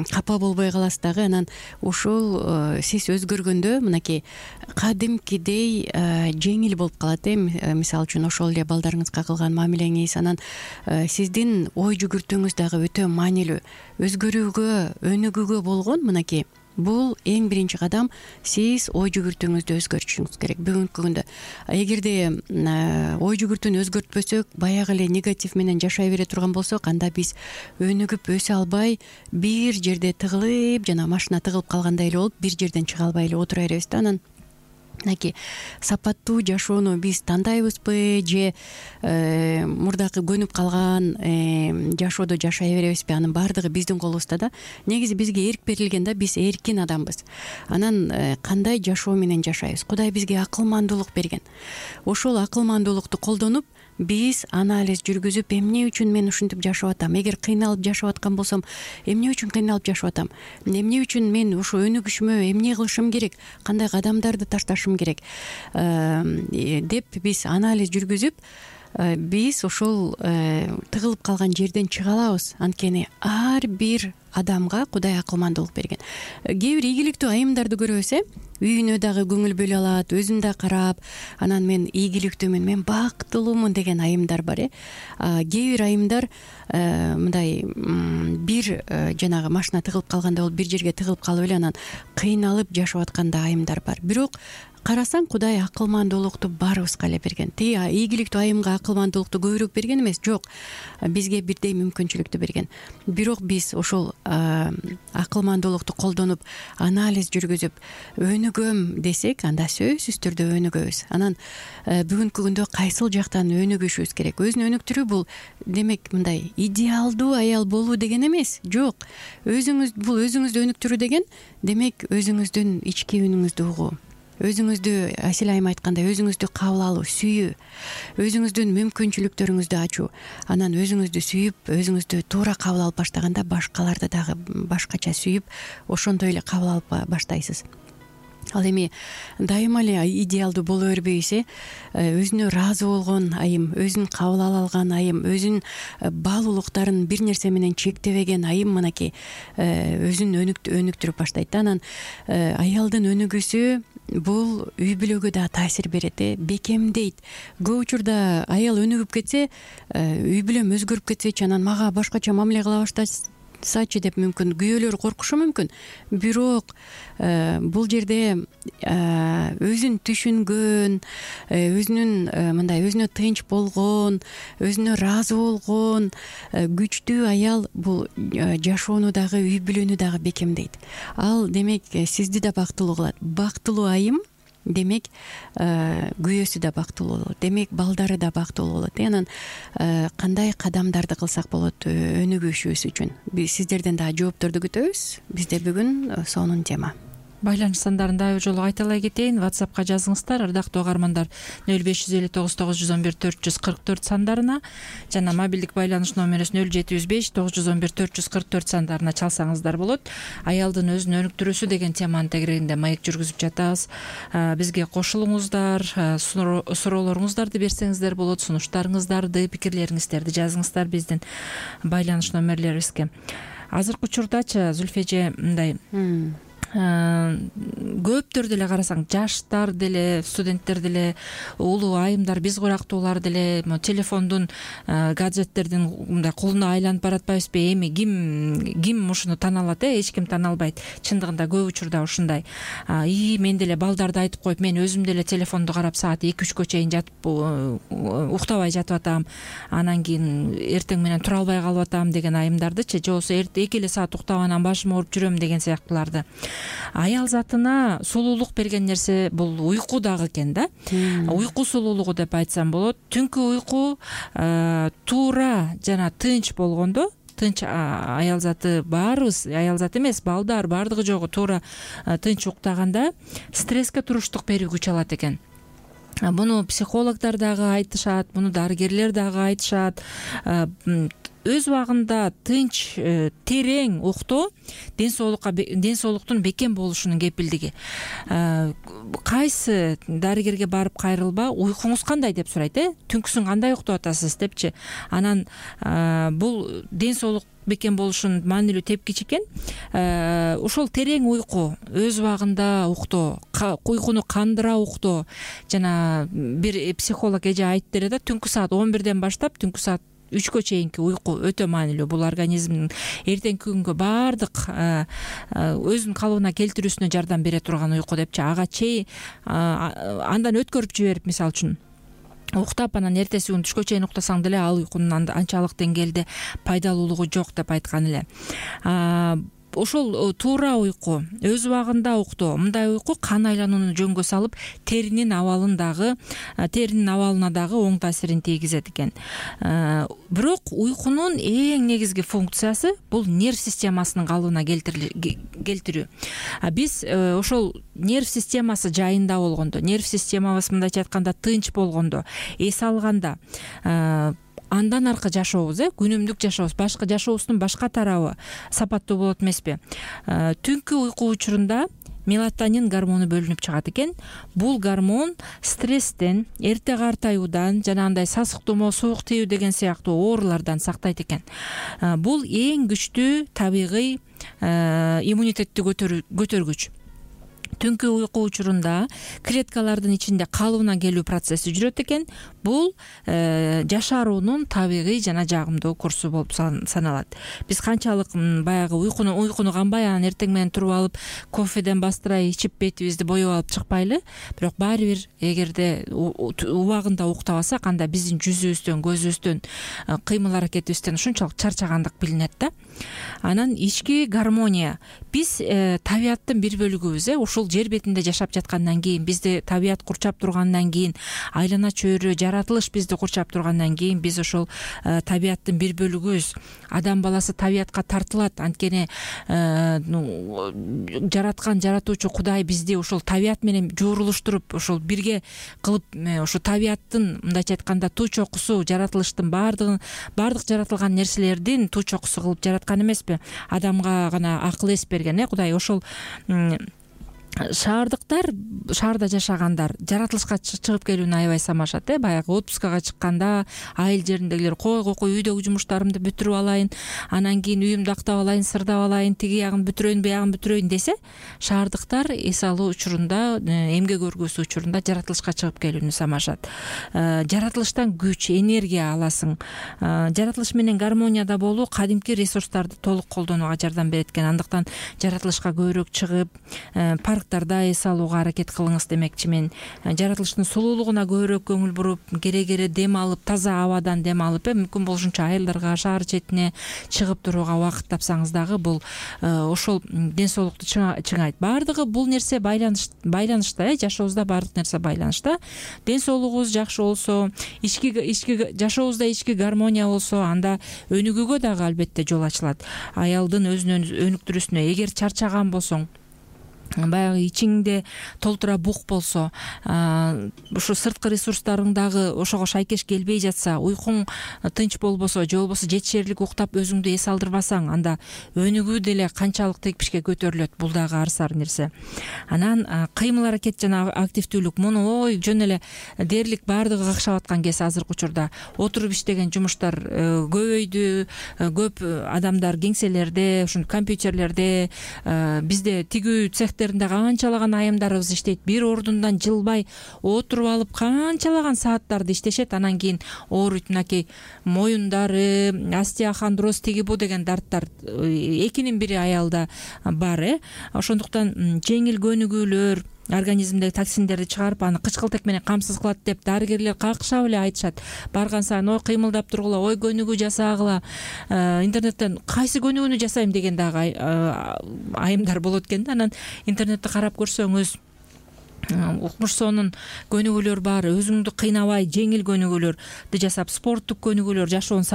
капа болбой каласыз дагы. Анан ушул сиз өзгөргөндө мынакей кадимкидей жеңил болуп калат. Мисалы үчүн ошол эле балдарыңызга кылган мамилеңиз, анан сиздин ой жүгүртүүңүз дагы өтө маанилүү. Өзгөрүүгө, өнүгүүгө болгон мынакей бул эң биринчи кадам. Сиз ой жүгүртүүңүздү өзгөртүшүңүз керек. Бүгүнкү күндө эгерде ой жүгүртүүнү өзгөртпөсөк, баягы эле негатив менен жашай бере турган болсок, анда биз өнүгүп өсө албай, бир жерде тыгылып, жана машина тыгылып калгандай эле болуп, бир жерден чыга албай эле отура беребиз да. Анан мынакей сапаттуу жашоону биз тандайбызбы же мурдакы көнүп калган жашоодо жашай беребизби? Анын баардыгы биздин колубузда да. Негизи бизге эрк берилген да, биз эркин адамбыз. Анан кандай жашоо менен жашайбыз? Кудай бизге акылмандуулук берген. Ошол акылмандуулукту колдонуп биз анализ жүргүзүп, эмне үчүн мен ушинтип жашап атам? Эгер кыйналып жашап аткан болсом, эмне үчүн кыйналып жашап атам? Эмне үчүн мен ушу өнүгүшүмө эмне кылышым керек? Кандай кадамдарды ташташым керек? Деп биз анализ жүргүзүп, биз ошол тыгылып калган жерден чыга алабыз. Анткени ар бир адамга Кудай акылмандуулук берген. Кээ бир ийгиликтүү айымдарды көрөбүз, үйүнө дагы көңүл бөлө алат, өзүн да карап, анан мен ийгиликтүүмүн, мен бактылуумун деген айымдар бар. Кээ бир айымдар мындай бир жанагы машина тыгылып калганда болуп, бир жерге тыгылып калып эле анан кыйналып жашап аткан да айымдар бар. Бирок карасаң, Кудай акылмандуулукту баарыбызга эле берген. Тиги ийгиликтүү айымга акылмандуулукту көбүрөөк берген эмес, жок. Бизге бирдей мүмкүнчүлүктү берген. Бирок биз ошол акылмандуулукту колдонуп, анализ жүргүзүп, өнүгөм десек, анда сөзсүз түрдө өнүгөбүз. Анан бүгүнкү күндө кайсыл жактан өнүгүшүбүз керек? Өзүн өнүктүрүү бул демек мындай идеалдуу аял болуу деген эмес. Жок. Бул өзүңүздү өнүктүрүү деген, демек өзүңүздүн ички үнүңүздү угуу. Өзүңүздү, Асил айым айткандай, өзүңүздү кабыл алуу, сүйүү, өзүңүздүн мүмкүнчүлүктөрүңүздү ачуу. Анан өзүңүздү сүйүп, өзүңүздү туура кабыл алып баштаганда башкаларды дагы башкача сүйүп, ошондой эле кабыл алып баштайсыз. Ал эми дайыма эле идеалдуу боло бербейбиз. Өзүнө ыраазы болгон айым, өзүн кабыл ала алган айым, өзүнүн бал улуктарын бир нерсе менен чектебеген айым мынакей өзүн өнүктүрүп баштайт да. Анан аялдын өнүгүүсү бул үй бүлөгө да таасир берет, бекемдейт. Көп учурда аял өнүгүп кетсе, үй бүлөм өзгөрүп кетсечи, анан мага башкача мамиле кыла баштасачы деп мүмкүн күйөөлөр коркушу мүмкүн. Бирок бул жерде өзүн түшүнгөн, өзүнүн мындай өзүнө тынч болгон, өзүнө ыраазы болгон күчтүү аял бул жашоону дагы, үй бүлөнү дагы бекемдейт. Ал демек сизди да бактылуу кылат. Бактылуу айым демек күйөөсү да бактылуу болот, демек балдары да бактылуу болот. Анан кандай кадамдарды кылсак болот өнүгүшүбүз үчүн? Биз сиздерден дагы жоопторду күтөбүз. Бизде бүгүн сонун тема. Байланыш сандарын дагы жолу кайталай кетейин. WhatsApp'ка жазыңыздар, ырдактуу угармандар, 0559914444 сандарына жана мобилдик байланыш номерибиз 0759114444 сандарына чалсаңыздар болот. Аялдын өзүн өнүктүрүүсү деген теманын тегерегинде маек жүргүзүп жатабыз. Бизге кошулуңуздар, суроолоруңуздарды берсеңиздер болот, сунуштарыңыздарды, пикирлериңиздерди жазыңыздар биздин байланыш номерлерибизге. Азыркы учурдачы Зүлфе эже мындай көптөр деле карасаң, жаштар деле, студенттер деле, улуу айымдар, биз курактуулар деле телефондун, гаджеттердин мындай кулуна айланып баратпайбызбы? Эми ким ушуну тана алат? Эч ким тана албайт. Чындыгында көп учурда ушундай. Мен деле балдарды айтып коюп, мен өзүм деле телефонду карап саат 2-3 чейин жатып уктабай жатып атам. Анан кийин эртең менен тура албай калып атам деген айымдардычы, же болбосо 2 саат уктап анан башым ооруп жүрөм деген сыяктууларды. Аял затына сулуулук берген нерсе бул уйку дагы экен да. Уйку сулуулугу деп айтсам болот. Түнкү уйку туура жана тынч болгондо, тынч аял заты баарыбыз, аял заты эмес, балдар баардыгы жогу туура тынч уктаганда стресске туруштук берүү күч алат экен. Буну психологдор дагы айтышат, буну дарыгерлер дагы айтышат. Өз убагында тынч, терең уктоо ден-соолуктун бекем болушунун кепилдиги. Кайсы дарыгерге барып кайрылба, уйкуңуз кандай деп сурайт, түнкүсүн кандай уктап атасыз депчи. Анан бул ден-соолук бекем болушунун маанилүү тепкичи экен. Ошол терең уйку, өз убагында уктоо, уйкуну кандыра уктоо. Жана бир психолог эже айтып берет да, түнкү саат 11ден баштап түнкү саат 3кө чейинки уйку өтө маанилүү. Бул организмдин эртеңки күнгө баардык өзүнүн калыбына келтирүүсүнө жардам бере турган уйку депчи. Ага андан өткөрүп жиберип, мисалы үчүн уктап анан эртеси күнү түшкө чейин уктасаң деле ал уйкунун анчалык деңгээлде пайдалуулугу жок деп айткан эле. Ошол туура уйку, өз убагында уктоо, мындай уйку кан айланууну жөнгө салып, теринин абалына дагы оң таасирин тийгизет экен. Бирок уйкунун эң негизги функциясы бул нерв системасынын калыбына келтирүү. Биз ошол нерв системасы жайында болгондо, нерв системабыз мындайча айтканда тынч болгондо, эс алганда, андан аркы жашообуз, күнүмдүк жашообуз, башка жашообуздун башка тарабы сапаттуу болот эмеспи? Түнкү уйку учурунда мелатонин гормону бөлүнүп чыгат экен. Бул гормон стресстен, эрте картаюудан, жанагындай сасык тумоо, суук тийүү деген сыяктуу оорулардан сактайт экен. Бул эң күчтүү табигый иммунитетти көтөргүч. Түнкү уйку учурунда клеткалардын ичинде калыбына келүү процесси жүрөт экен. Бул жашаруунун табигый жана жагымдуу курсу болуп саналат. Биз канчалык баягы уйкуну канбай, анан эртең менен туруп алып кофеден бастырай ичип бетибизди боеп алып чыкпайлы. Бирок баары бир эгерде убагында уктабасак, анда биздин жүзүбүздөн, көзүбүздөн, кыймыл аракетибизден ушунчалык чарчагандык билинет да. Анан ички гармония. Биз табияттын бир бөлүгүбүз, ушул жер бетинде жашап жаткандан кийин, бизди табият курчап тургандан кийин, айлана чөйрө, жаратылыш бизди курчап тургандан кийин, биз ошол табияттын бир бөлүгүбүз. Адам баласы табиятка тартылат. Анткени жараткан жаратуучу Кудай бизди ошол табият менен жуурулуштуруп, ошол бирге кылып, ошо табияттын мындайча айтканда туу чокусу, жаратылыштын баардык жаратылган нерселердин туу чокусу кылып жараткан эмеспи? Адамга гана акыл эс берген, Кудай. Ошол шаарда жашагандар жаратылышка чыгып келүүнү аябай самашат. Баягы отпускага чыкканда айыл жериндегилер койгой үйдөгү жумуштарымды бүтүрүп алайын, анан кийин үйүмдү актап алайын, сырдап алайын, тиги ягын бүтүрөйүн, буягын бүтүрөйүн десе, шаардыктар эс алуу учурунда, эмгек өргөсү учурунда жаратылышка чыгып келүүнү самашат. Жаратылыштан күч, энергия аласың. Жаратылыш менен гармонияда болуу кадимки ресурстарды толук колдонууга жардам берет экен. Андыктан жаратылышка көбүрөөк чыгып, парктарда эс алууга аракет кылыңыз демекчи мен. Жаратылыштын сулуулугуна көбүрөөк көңүл буруп, кере дем алып, таза абадан дем алып, мүмкүн болушунча айылдарга, шаар четине чыгып турууга убакыт тапсаңыз дагы, бул ошол ден соолукту чыңайт. Баардыгы бул нерсе байланышта, жашообузда баардык нерсе байланышта. Ден соолугубуз жакшы болсо, жашообузда ички гармония болсо, анда өнүгүүгө дагы албетте жол ачылат. Аялдын өзүнүн өнүктүрүүсүнө, эгер чарчаган болсоң, баягы ичиңде толтура бук болсо, ушу сырткы ресурстарың дагы ошого шайкеш келбей жатса, уйкуң тынч болбосо, же болбосо жетишерлик уктап өзүңдү эс алдырбасаң, анда өнүгүү деле канчалык текпишке көтөрүлөт. Бул дагы арсар нерсе. Анан кыймыл аракет жана активдүүлүк, муну жөн эле дээрлик баардыгы какшап аткан кез азыркы учурда. Отуруп иштеген жумуштар көбөйдү, көп адамдар кеңселерде, ушун компьютерлерде, бизде тигүү цехтеринде канчалаган айымдарыбыз иштейт. Бир ордундан жылбай отуруп алып канчалаган сааттарды иштешет. Анан кийин ооруйт, мынакей моюндары, остеохондроз, тиги бу деген дарттар экинин бири аялда бар. Ошондуктан жеңил көнүгүүлөр организмдеги токсиндерди чыгарып, аны кычкылтек менен камсыз кылат деп дарыгерлер какшап эле айтышат. Барган сайын кыймылдап тургула, көнүгүү жасагыла. Интернеттен кайсы көнүгүүнү жасайм деген дагы айымдар болот экен да. Анан интернетти карап көрсөңүз, укмуш сонун көнүгүүлөр бар. Өзүңдү кыйнабай жеңил көнүгүүлөрдү жасап, спорттук көнүгүүлөр жашоонун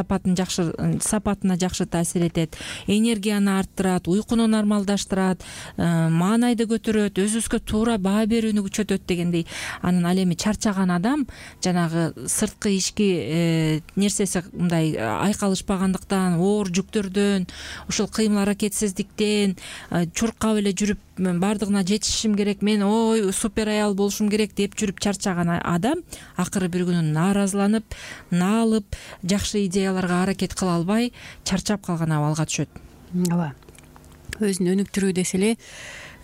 сапатына жакшы таасир этет, энергияны арттырат, уйкуну нормалдаштырат, маанайды көтөрөт, өзүбүзгө туура баа берүүнү күчөтөт дегендей. Анан ал эми чарчаган адам жанагы сырткы ички нерсеси мындай айкалышпагандыктан, оор жүктөрдөн, ушул кыймыл аракетсиздиктен чуркап эле жүрүп, баардыгына жетишишим керек, мен супер аял болушум керек деп жүрүп чарчаган адам акыры бир күнү нааразыланып, наалып, жакшы идеяларга аракет кыла албай, чарчап калган абалга түшөт. Ооба. Өзүн өнүктүрүү десе эле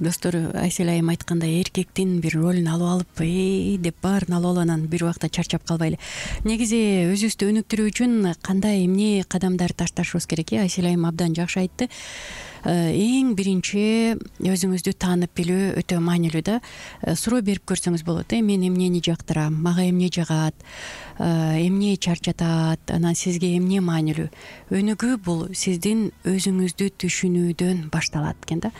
достор Айсель айым айткандай эркектин бир ролун алып деп баарын алып алып анан бир убакта чарчап калбайлы. Негизи өзүбүздү өнүктүрүү үчүн кандай эмне кадамдар ташташыбыз керек? Айсель айым абдан жакшы айтты. Эң биринчи өзүңүздү таанып билүү өтө маанилүү да. Суроо берип көрсөңүз болот. Мен эмнени жактырам, мага эмне жагат, эмне чарчатат, анан сизге эмне маанилүү? Өнүгүү бул сиздин өзүңүздү түшүнүүдөн башталат экен да.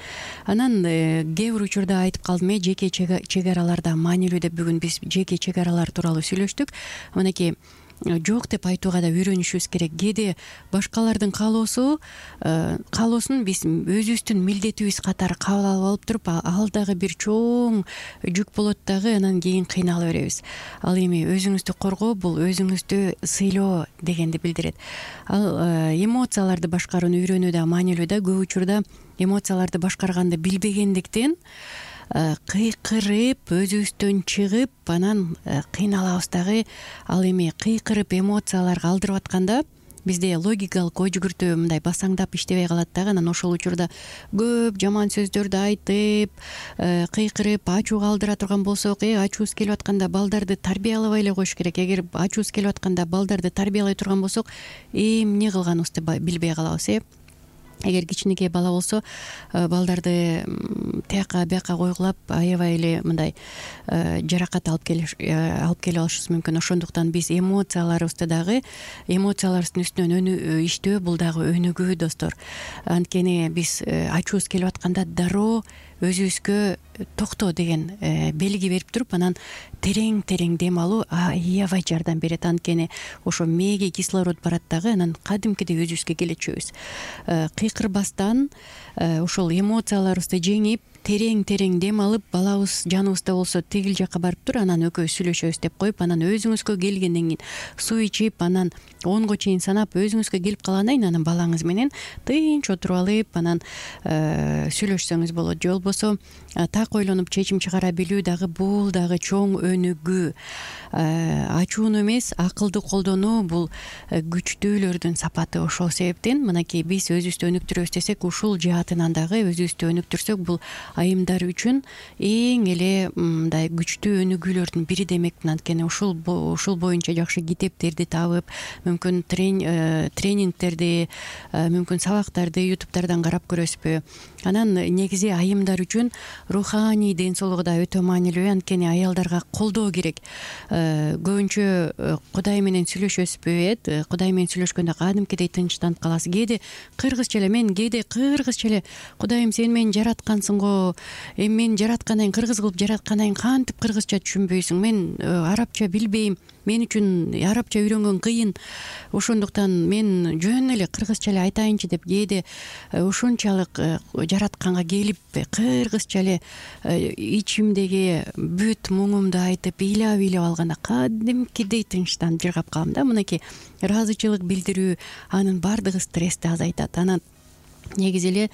Анан кээ бир учурда айтып калдым, жеке чек араларда маанилүү деп. Бүгүн биз жеке чек аралар тууралуу сүйлөштүк. Мынакей жок деп айтууга да үйрөнүшүбүз керек. Кээде башкалардын каалоосун биз өзүбүздүн милдетибиз катары кабыл алып алып туруп, ал дагы бир чоң жүк болот дагы, анан кийин кыйнала беребиз. Ал эми өзүңүздү коргоо бул өзүңүздү сыйлоо дегенди билдирет. Ал эмоцияларды башкарууну үйрөнүү да маанилүү да. Көп учурда эмоцияларды башкарганды билбегендиктен кыйкырып, өзүбүздөн чыгып, анан кыйналабыз дагы. Ал эми кыйкырып эмоцияларга алдырып атканда бизде логикалык ой жүгүртүү мындай басаңдап иштебей калат дагы. Анан ошол учурда көп жаман сөздөрдү айтып, кыйкырып ачууга алдыра турган болсок, ачуубуз келип атканда балдарды тарбиялабай эле коюш керек. Эгер ачуубуз келип атканда балдарды тарбиялай турган болсок, эмне кылганыбызды билбей калабыз. Эгер кичинекей бала болсо, балдарды тияка бияка койгулап, аябай эле мындай жаракат алып келип алышыбыз мүмкүн. Ошондуктан биз эмоцияларыбыздын үстүнөн иштөө бул дагы өнүгүү, достор. Анткени биз ачуубуз келип атканда дароо өзүбүзгө токто деген белги берип туруп, анан терең дем алуу аябай жардам берет. Анткени ошо мээге кислород барат дагы, анан кадимкидей өзүбүзгө келечүбүз. Кыйкырбастан ошол эмоцияларыбызды жеңип, терең дем алып, балабыз жаныбызда болсо тигил жакка барып тур, анан экөөбүз сүйлөшөбүз деп коюп, анан өзүңүзгө келгенден кийин суу ичип, анан 10го чейин санап өзүңүзгө келип калгандан кийин анан балаңыз менен тынч отуруп алып, анан сүйлөшсөңүз болот. Же болбосо так ойлонуп чечим чыгара билүү дагы бул дагы чоң өнүгүү. Ачууну эмес, акылды колдонуу бул күчтүүлөрдүн сапаты. Ошол себептен мынакей биз өзүбүздү өнүктүрөбүз десек, ушул жаатынан дагы өзүбүздү өнүктүрсөк, бул айымдар үчүн эң эле мындай күчтүү өнүгүүлөрдүн бири демекмин. Анткени ушул боюнча жакшы китептерди табып, мүмкүн тренингтерди, мүмкүн сабактарды ютубтардан карап көрөсүзбү. Анан негизи айымдар үчүн руханий ден соолугу да өтө маанилүү. Анткени аялдарга колдоо керек. Көбүнчө Кудай менен сүйлөшөсүзбү? Кудай менен сүйлөшкөндө кадимкидей тынчтанып каласыз. Кээде кыргызча эле Кудайым, сен мени жараткансың го, мен жараткандан кийин кыргыз кылып жараткандан кийин кантип кыргызча түшүнбөйсүң? Мен арабча билбейм, мен үчүн арабча үйрөнгөн кыйын, ошондуктан мен жөн эле кыргызча эле айтайынчы деп кээде ушунчалык жаратканга келип кыргызча эле ичимдеги бүт муңумду айтып ыйлап алганда кадимкидей тынчтанып жыргап калам да. Мынакей ыраазычылык билдирүү, анын баардыгы стрессти азайтат. Анан негизи эле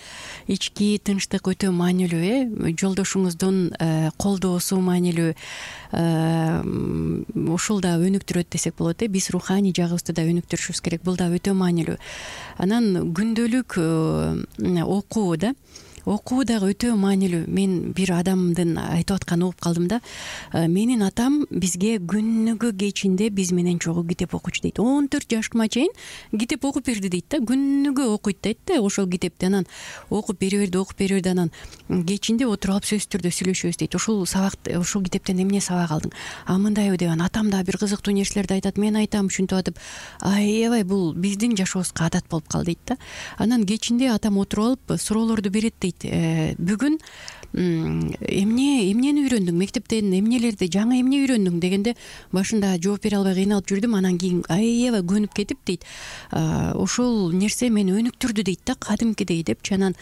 ички тынчтык өтө маанилүү. Жолдошуңуздун колдоосу маанилүү. Ушул да өнүктүрөт десек болот. Биз руханий жагыбызды да өнүктүрүшүбүз керек. Бул да өтө маанилүү. Анан күндөлүк окуу дагы өтө маанилүү. Мен бир адамдын айтып атканын угуп калдым да. Менин атам бизге күнүгө кечинде биз менен чогуу китеп окучу дейт. 14 жашыма чейин китеп окуп берди дейт да. Күнүгө окуйт дейт да ошол китепти. Анан окуп бере берди. Анан кечинде отуруп алып сөзсүз түрдө сүйлөшөбүз дейт. Ушул китептен эмне сабак алдың? Мындайбы деп, атам да бир кызыктуу нерселерди айтат, мен айтам ушинтип атып, аябай бул биздин жашообузга адат болуп калды дейт да. Анан кечинде атам отуруп алып суроолорду берет дейт. Бүгүн эмнени үйрөндүң, мектептен жаңы эмне үйрөндүң дегенде башында жооп бере албай кыйналып жүрдүм, анан кийин аябай көнүп кетип дейт. Ошол нерсе мени өнүктүрдү дейт да, кадимкидей депчи. Анан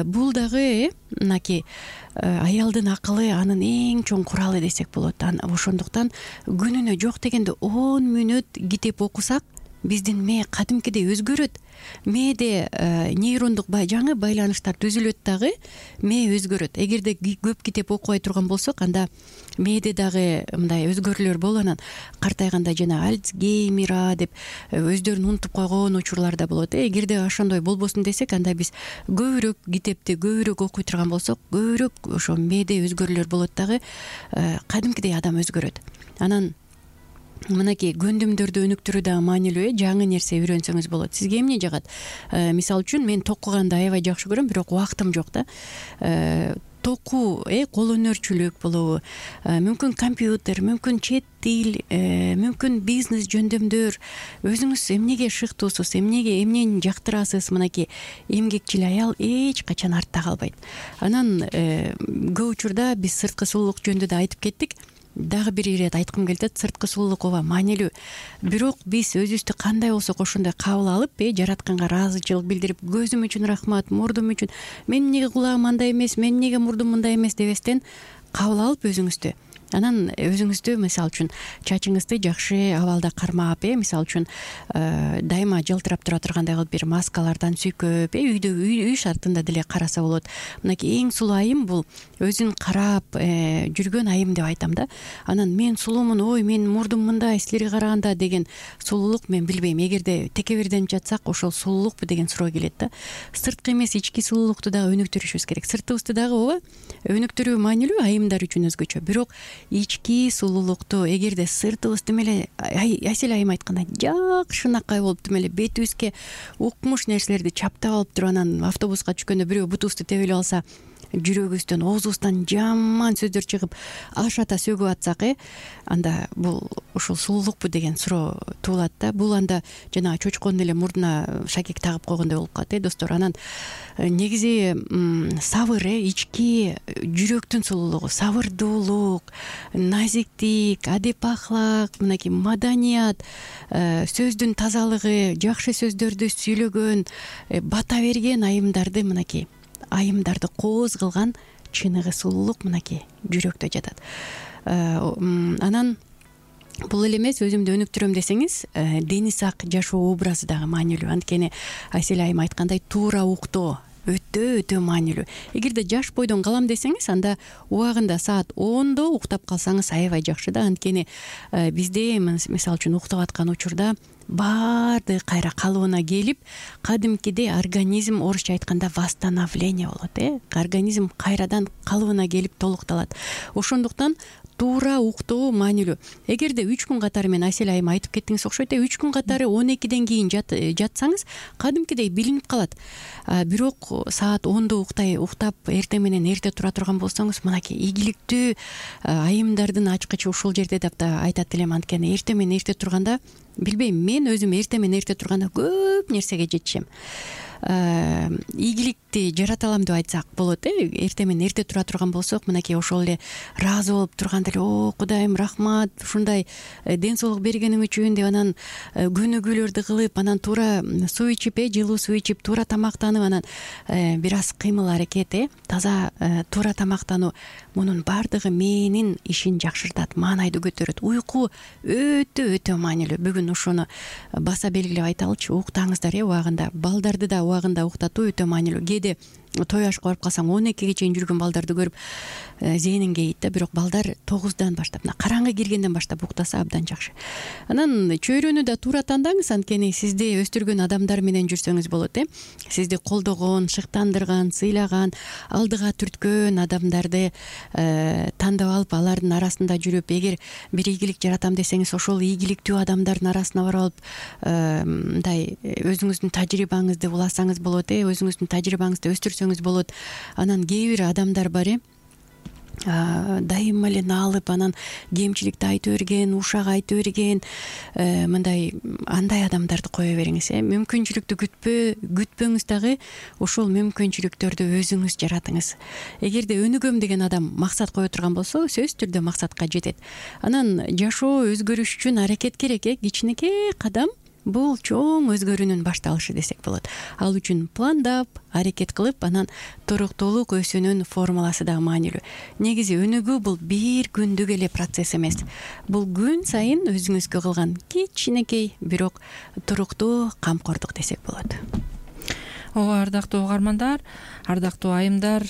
бул дагы мынакей аялдын акылы анын эң чоң куралы десек болот. Ошондуктан күнүнө жок дегенде 10 мүнөт китеп окусак биздин мээ кадимкидей өзгөрөт. Мээде нейрондук жаңы байланыштар түзүлөт дагы, мээ өзгөрөт. Эгерде көп китеп окубай турган болсок, анда мээде дагы мындай өзгөрүүлөр болот. Анан картайганда жана Альцгеймер деп өздөрүн унутуп койгон учурлар да болот. Эгерде ошондой болбосун десек, анда биз көбүрөөк китепти көбүрөөк окуй турган болсок, көбүрөөк ошо мээде өзгөрүүлөр болот дагы, кадимкидей адам өзгөрөт. Анан мынакей көндүмдөрдү өнүктүрүү дагы маанилүү. Жаңы нерсе үйрөнсөңүз болот. Сизге эмне жагат? Мисалы үчүн мен токуганды аябай жакшы көрөм, бирок убактым жок да. Токуу, кол өнөрчүлүк болобу, мүмкүн компьютер, мүмкүн чет тил, мүмкүн бизнес жөндөмдөр. Өзүңүз эмнеге шыктуусуз, эмнени жактырасыз? Мынакей эмгекчил аял эч качан артта калбайт. Анан көп учурда биз сырткы сулуулук жөнүндө да айтып кеттик. Дагы бир ирет айткым келет. Сырткы сулуулук ооба маанилүү. Бирок биз өзүбүздү кандай болсок ошондой кабыл алып, жаратканга ыраазычылык билдирип, көзүм үчүн рахмат, мурдум үчүн, мен эмнеге кулагым андай эмес, мен эмнеге мурдум мындай эмес дебестен кабыл алып өзүңүздү, анан өзүңүздү мисалы үчүн чачыңызды жакшы абалда кармап, мисалы үчүн дайыма жылтырап тура тургандай кылып бир маскалардан сүйкөп, үй шартында деле караса болот. Мынакей эң сулуу айым бул өзүн карап жүргөн айым деп айтам да. Анан мен сулуумун, ой мен мурдум мындай силерге караганда деген сулуулук мен билбейм. Эгерде текеберденип жатсак, ошол сулуулукпу деген суроо келет да. Сырткы эмес, ички сулуулукту дагы өнүктүрүшүбүз керек. Сыртыбызды дагы ооба өнүктүрүү маанилүү, айымдар үчүн өзгөчө. Бирок ички сулуулукту эгерде сыртыбыз тим эле Айсел айым айткандай жакшынакай болуп, тим эле бетибизге укмуш нерселерди чаптап алып туруп, анан автобуска түшкөндө бирөө бутубузду тебип алса, жүрөгүбүздөн, оозубуздан жаман сөздөр чыгып ашата сөгүп атсак, анда бул ушул сулуулукпу деген суроо туулат да. Бул анда жана чочконун эле мурдуна шакек тагып койгондой болуп калат, достор. Анан негизи сабыр, ички жүрөктүн сулуулугу, сабырдуулук, назиктик, адеп ахлак, мынакей маданият, сөздүн тазалыгы, жакшы сөздөрдү сүйлөгөн, бата берген айымдарды, мынакей айымдарды кооз кылган чыныгы сулуулук мынакей жүрөктө жатат. Анан бул эле эмес, өзүмдү өнүктүрөм десеңиз, дени сак жашоо образы дагы маанилүү. Анткени Айсел айым айткандай, туура уктоо өтө маанилүү. Эгерде жаш бойдон калам десеңиз, анда убагында саат 10-до уктап калсаңыз аябай жакшы да. Анткени бизде мисалы үчүн уктап аткан учурда баардыгы кайра калыбына келип, кадимкидей организм, орусча айтканда восстановление болот, организм кайрадан калыбына келип толукталат. Ошондуктан туура уктоо маанилүү. Эгерде 3 күн катары, мен Айсел айым айтып кеттиңиз окшойт, 3 күн катары 12ден кийин жатсаңыз, кадимкидей билинип калат. Бирок саат 10-до уктап, эртең менен эрте тура турган болсоңуз, мынакей ийгиликтүү айымдардын ачкычы ушул жерде деп да айтат элем. Анткени эртең менен эрте турганда, билбейм, мен өзүм эртең менен эрте турганда көп нерсеге жетишем. Ийгиликти жарата алам деп айтсак болот. Эртең менен эрте тура турган болсок, мынакей ошол эле ыраазы болуп турганда эле, о Кудайым рахмат, ушундай ден соолук бергениң үчүн деп, анан көнүгүүлөрдү кылып, анан туура суу ичип, жылуу суу ичип, туура тамактанып, анан бир аз кыймыл аракет, таза туура тамактануу, мунун баардыгы мээнин ишин жакшыртат, маанайды көтөрөт. Уйку өтө маанилүү. Бүгүн ошону баса белгилеп айталычы, уктаңыздар убагында. Балдарды да убагында уктатуу өтө маанилүү. Кээде той ашка барып калсаң, 12ге чейин жүргөн балдарды көрүп зээнин кейит да. Бирок балдар 9-дан баштап, караңгы киргенден баштап уктаса абдан жакшы. Анан чөйрөнү да туура тандаңыз, анткени сизди өстүргөн адамдар менен жүрсөңүз болот, сизди колдогон, шыктандырган, сыйлаган, алдыга түрткөн адамдарды тандап алып, алардын арасында жүрүп, эгер бир ийгилик жаратам десеңиз, ошол ийгиликтүү адамдардын арасына барып алып, мындай өзүңүздүн тажрыйбаңызды уласаңыз болот, өзүңүздүн тажрыйбаңызды өстүрсөңүз болот. Анан кээ бир адамдар бар, дайыма эле наалып, анан кемчиликти айтып берген, ушак айтып берген, мындай андай адамдарды кое бериңиз. Мүмкүнчүлүктү күтпөңүз дагы, ошол мүмкүнчүлүктөрдү өзүңүз жаратыңыз. Эгерде өнүгөм деген адам максат кое турган болсо, сөзсүз түрдө максатка жетет. Анан жашоо өзгөрүш үчүн аракет керек, кичинекей кадам бул чоң өзгөрүүнүн башталышы десек болот. Ал үчүн пландап, аракет кылып, анан туруктуулук өсүүнүн формуласы да маанилүү. Негизи өнүгүү бул бир күндүк эле процесс эмес. Бул күн сайын өзүңүзгө кылган кичинекей, бирок туруктуу камкордук десек болот. Ооба, ардактуу угармандар, ардактуу айымдар,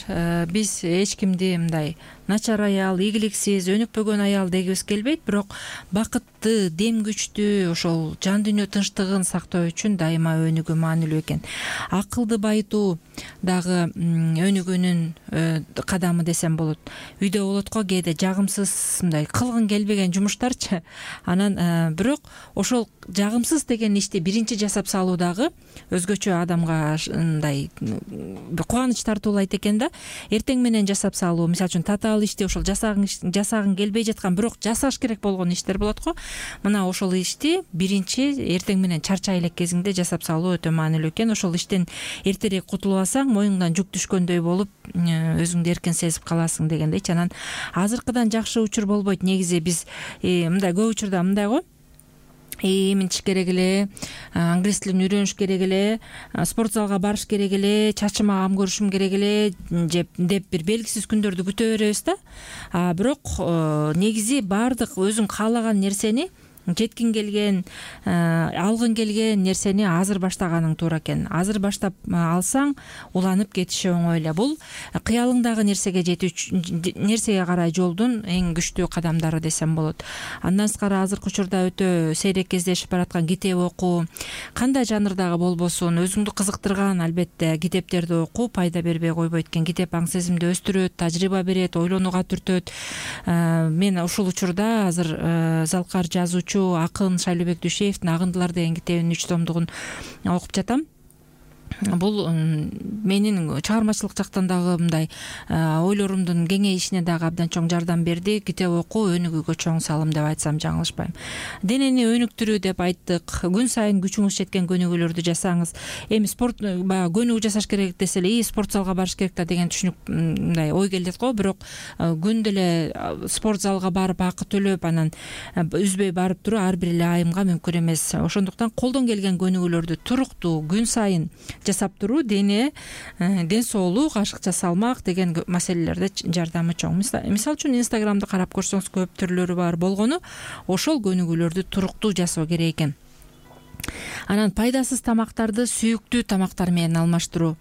биз эч кимди мындай начар аял, ийгиликсиз, өнүкпөгөн аял дегибиз келбейт, бирок бакытты, дем күчтүү, ошол жан дүйнө тынчтыгын сактоо үчүн дайыма өнүгүү маанилүү экен. Акылды байытуу дагы өнүгүүнүн кадамы десем болот. Үйдө болот го кээде жагымсыз мындай кылгың келбеген жумуштарчы. Анан бирок ошол жагымсыз деген ишти биринчи жасап салуу дагы өзгөчө адамга мындай кубаныч тартуулайт экен да. Эртең менен жасап салуу, мисалы үчүн татаал ишти ошол жасагың келбей жаткан, бирок жасаш керек болгон иштер болот го. Мына ошол ишти биринчи эртең менен чарчай элек кезиңде жасап салуу өтө маанилүү экен. Ошол иштен эртерээк кутулуп алсаң, моюңдан жүк түшкөндөй болуп, өзүңдү эркин сезип каласың дегендейчи. Анан азыркыдан жакшы учур болбойт. Негизи биз мындай көп учурда мындай го. Эминтиш керек эле, англис тилин үйрөнүш керек эле, спорт залга барыш керек эле, чачыма кам көрүшүм керек эле деп бир белгисиз күндөрдү күтө беребиз да. Бирок негизи баардык өзүң каалаган нерсени, жеткиң келген, алгың келген нерсени азыр баштаганың туура экен. Азыр баштап алсаң, уланып кетиши оңой эле. Бул кыялыңдагы нерсеге нерсеге карай жолдун эң күчтүү кадамдары десем болот. Андан сырткары азыркы учурда өтө сейрек кездешип бараткан китеп окуу, кандай жанрдагы болбосун, өзүңдү кызыктырган албетте китептерди окуу пайда бербей койбойт экен. Китеп аң сезимди өстүрөт, тажрыйба берет, ойлонууга түртөт. Мен ушул учурда азыр залкар жазуучу акын Шайлообек Дүйшеевдин Агындылар деген китебинин 3 томдугун окуп жатам. Бул менин чыгармачылык жактан дагы мындай ойлорумдун кеңейишине дагы абдан чоң жардам берди. Китеп окуу өнүгүүгө чоң салым деп айтсам жаңылышпайм. Денени өнүктүрүү деп айттык. Күн сайын күчүңүз жеткен көнүгүүлөрдү жасаңыз. Эми спорт көнүгүү жасаш керек десе эле, спорт залга барыш керек да деген түшүнүк мындай ой келет го. Бирок күндө эле спорт залга барып акы төлөп, анан үзбөй барып туруу ар бир эле айымга мүмкүн эмес. Ошондуктан колдон келген көнүгүүлөрдү туруктуу күн сайын жасап туруу ден соолук, ашыкча салмак деген маселелерде жардамы чоң. Мисалы үчүн Инстаграмды карап көрсөңүз көп түрлөрү бар болгону, ошол көнүгүүлөрдү туруктуу жасоо керек экен. Анан пайдасыз тамактарды сүйүктүү тамактар менен алмаштыруу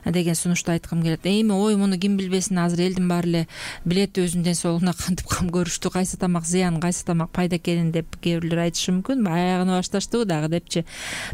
деген сунушту айткым келет. Эми муну ким билбесин, азыр элдин баары эле билет өзүнүн ден соолугуна кантип кам көрүштү, кайсы тамак зыян, кайсы тамак пайда экенин деп кээ бирлер айтышы мүмкүн. Аягына башташтыбы дагы депчи.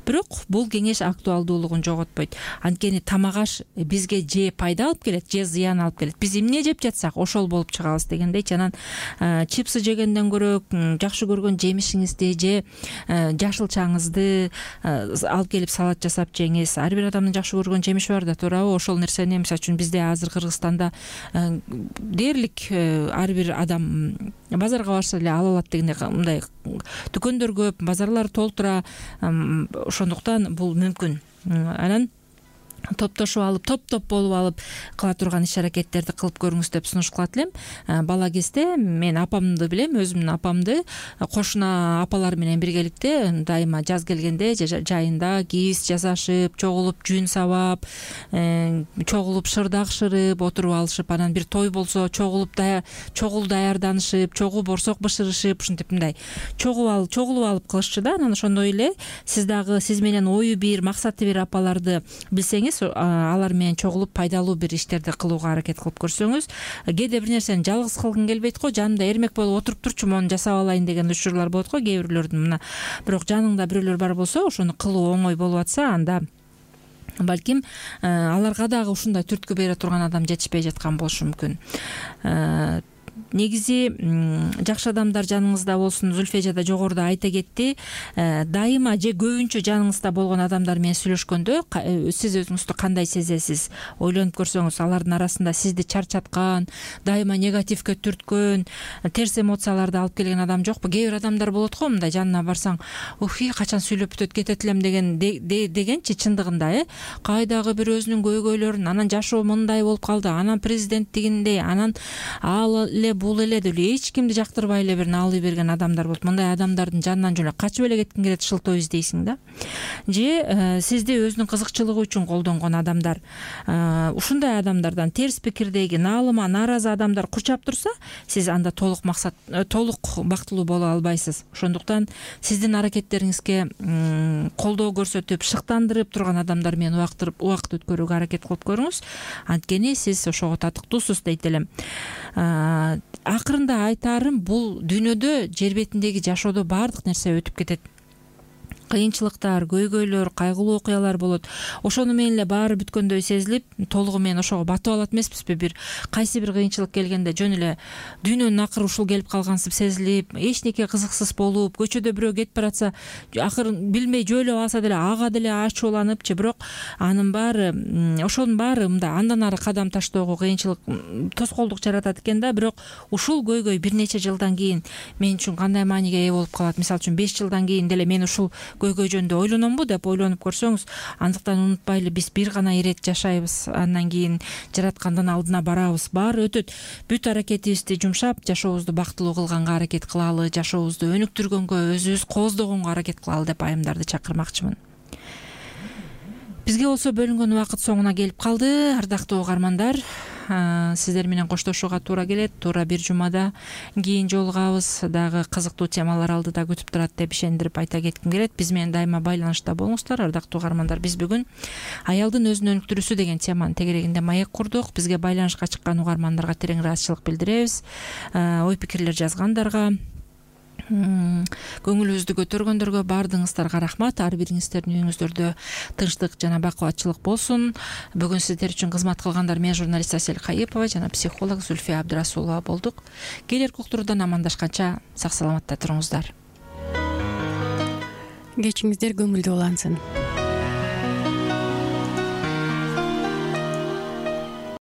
Бирок бул кеңеш актуалдуулугун жоготпойт. Анткени тамак аш бизге же пайда алып келет, же зыян алып келет. Биз эмне жеп жатсак, ошол болуп чыгабыз дегендейчи. Анан чипсы жегенден көрө жакшы көргөн жемишиңизди же жашылчаңызды алып келип салат жасап жеңиз. Ар бир адамдын жакшы көргөн жемиши бар да, туурабы? Ошол нерсени, мисалы үчүн бизде азыр Кыргызстанда дээрлик ар бир адам базарга барса эле ала алат дегендей мындай дүкөндөр көп, базарлар толтура. Ошондуктан бул мүмкүн. Анан топтошуп алып, топ болуп алып кыла турган иш-аракеттерди кылып көрүңүз деп сунуш кылат элем. Бала кезде мен апамды билем, өзүмдүн апамды кошуна апалар менен биргеликте дайыма жаз келгенде жайында киз жасашып, чогулуп жүн сабап, чогулуп шырдак шырып отуруп алышып, анан бир той болсо чогулуп чогул даярданышып, чогуу борсок бышырышып, ушинтип мындай чогулуп алып кылышчу да. Анан ошондой эле сиз дагы сиз менен ою бир, максаты бир апаларды билсеңиз, алар менен чогулуп пайдалуу бир иштерди кылууга аракет кылып көрсөңүз, кээде бир нерсени жалгыз кылгың келбейт го, жанымда эрмек болуп отуруп турчу, мону жасап алайын деген учурлар болот го кээ бирлөрдүн. Мына бирок жаныңда бирөөлөр бар болсо, ошону кылуу оңой болуп атса, анда балким аларга дагы ушундай түрткү бере турган адам жетишпей жаткан болушу мүмкүн. Негизи жакшы адамдар жаныңызда болсун. Зүлфия жада жогоруда айта кетти. Дайыма же көбүнчө жаныңызда болгон адамдар менен сүйлөшкөндө сиз өзүңүздү кандай сезесиз? Ойлонуп көрсөңүз, алардын арасында сизди чарчаткан, дайыма негативге түрткөн, терс эмоцияларды алып келген адам жокпу? Кээ бир адамдар болот го, мындай жанына барсаң, качан сүйлөп бүтөт кетет элем дегенчи, чындыгында кайдагы бир өзүнүн көйгөйлөрүн, анан жашоо мындай болуп калды, анан президент тигиндей, анан ал эле эле бул эле деп эле эч кимди жактырбай эле бир наалый берген адамдар болот. Мындай адамдардын жанынан жөн эле качып эле кеткиң келет, шылтоо издейсиң да. Же сизди өзүнүн кызыкчылыгы үчүн колдонгон адамдар, ушундай адамдардан терс пикирдеги, наалыма нааразы адамдар курчап турса, сиз анда толук бактылуу боло албайсыз. Ошондуктан сиздин аракеттериңизге колдоо көрсөтүп, шыктандырып турган адамдар менен убакыт өткөрүүгө аракет кылып көрүңүз. Анткени сиз ошого татыктуусуз дейт элем. Акырында айтаарым, бул дүйнөдө, жер бетиндеги жашоодо баардык нерсе өтүп кетет. Кыйынчылыктар, көйгөйлөр, кайгылуу окуялар болот. Ошону менен эле баары бүткөндөй сезилип, толугу менен ошого батып алат эмеспизби? Кайсы бир кыйынчылык келгенде жөн эле дүйнөнүн акыры ушул келип калгансып сезилип, эчтеке кызыксыз болуп, көчөдө бирөө кетип баратса, акырын билмей жөөлөп алса деле ага деле ачууланып, же бирок анын баары, ошонун баары мындай андан ары кадам таштоого кыйынчылык, тоскоолдук жаратат экен да. Бирок ушул көйгөй бир нече жылдан кийин мен үчүн кандай мааниге ээ болуп калат? Мисалы үчүн 5 жылдан кийин деле мен ушул көйгөй жөнүндө ойлономбу деп ойлонуп көрсөңүз, андыктан унутпайлы, биз бир гана ирет жашайбыз, андан кийин жараткандын алдына барабыз, баары өтөт. Бүт аракетибизди жумшап, жашообузду бактылуу кылганга аракет кылалы, жашообузду өнүктүргөнгө, өзүбүз кооздогонго аракет кылалы деп айымдарды чакырмакчымын. Бизге болсо бөлүнгөн убакыт соңуна келип калды. Ардактуу угармандар, сиздер менен коштошууга туура келет. Туура бир жумада кийин жолугабыз. Дагы кызыктуу темалар алдыда күтүп турат деп ишендирип айта кетким келет. Биз менен дайыма байланышта болуңуздар, ардактуу угармандар. Биз бүгүн аялдын өзүн өнүктүрүүсү деген теманын тегерегинде маек курдук. Бизге байланышка чыккан угармандарга терең ыраазычылык билдиребиз. Ой пикирлер жазгандарга, көңүлүбүздү көтөргөндөргө баардыгыңыздарга рахмат. Ар бириңиздердин үйүңүздөрдө тынчтык жана бакубатчылык болсун. Бүгүн сиздер үчүн кызмат кылгандар мен журналист Асель Кайыпова жана психолог Зульфия Абдрасулова болдук. Келерки уктуруудан амандашканча сак саламатта туруңуздар. Кечиңиздер көңүлдүү улансын.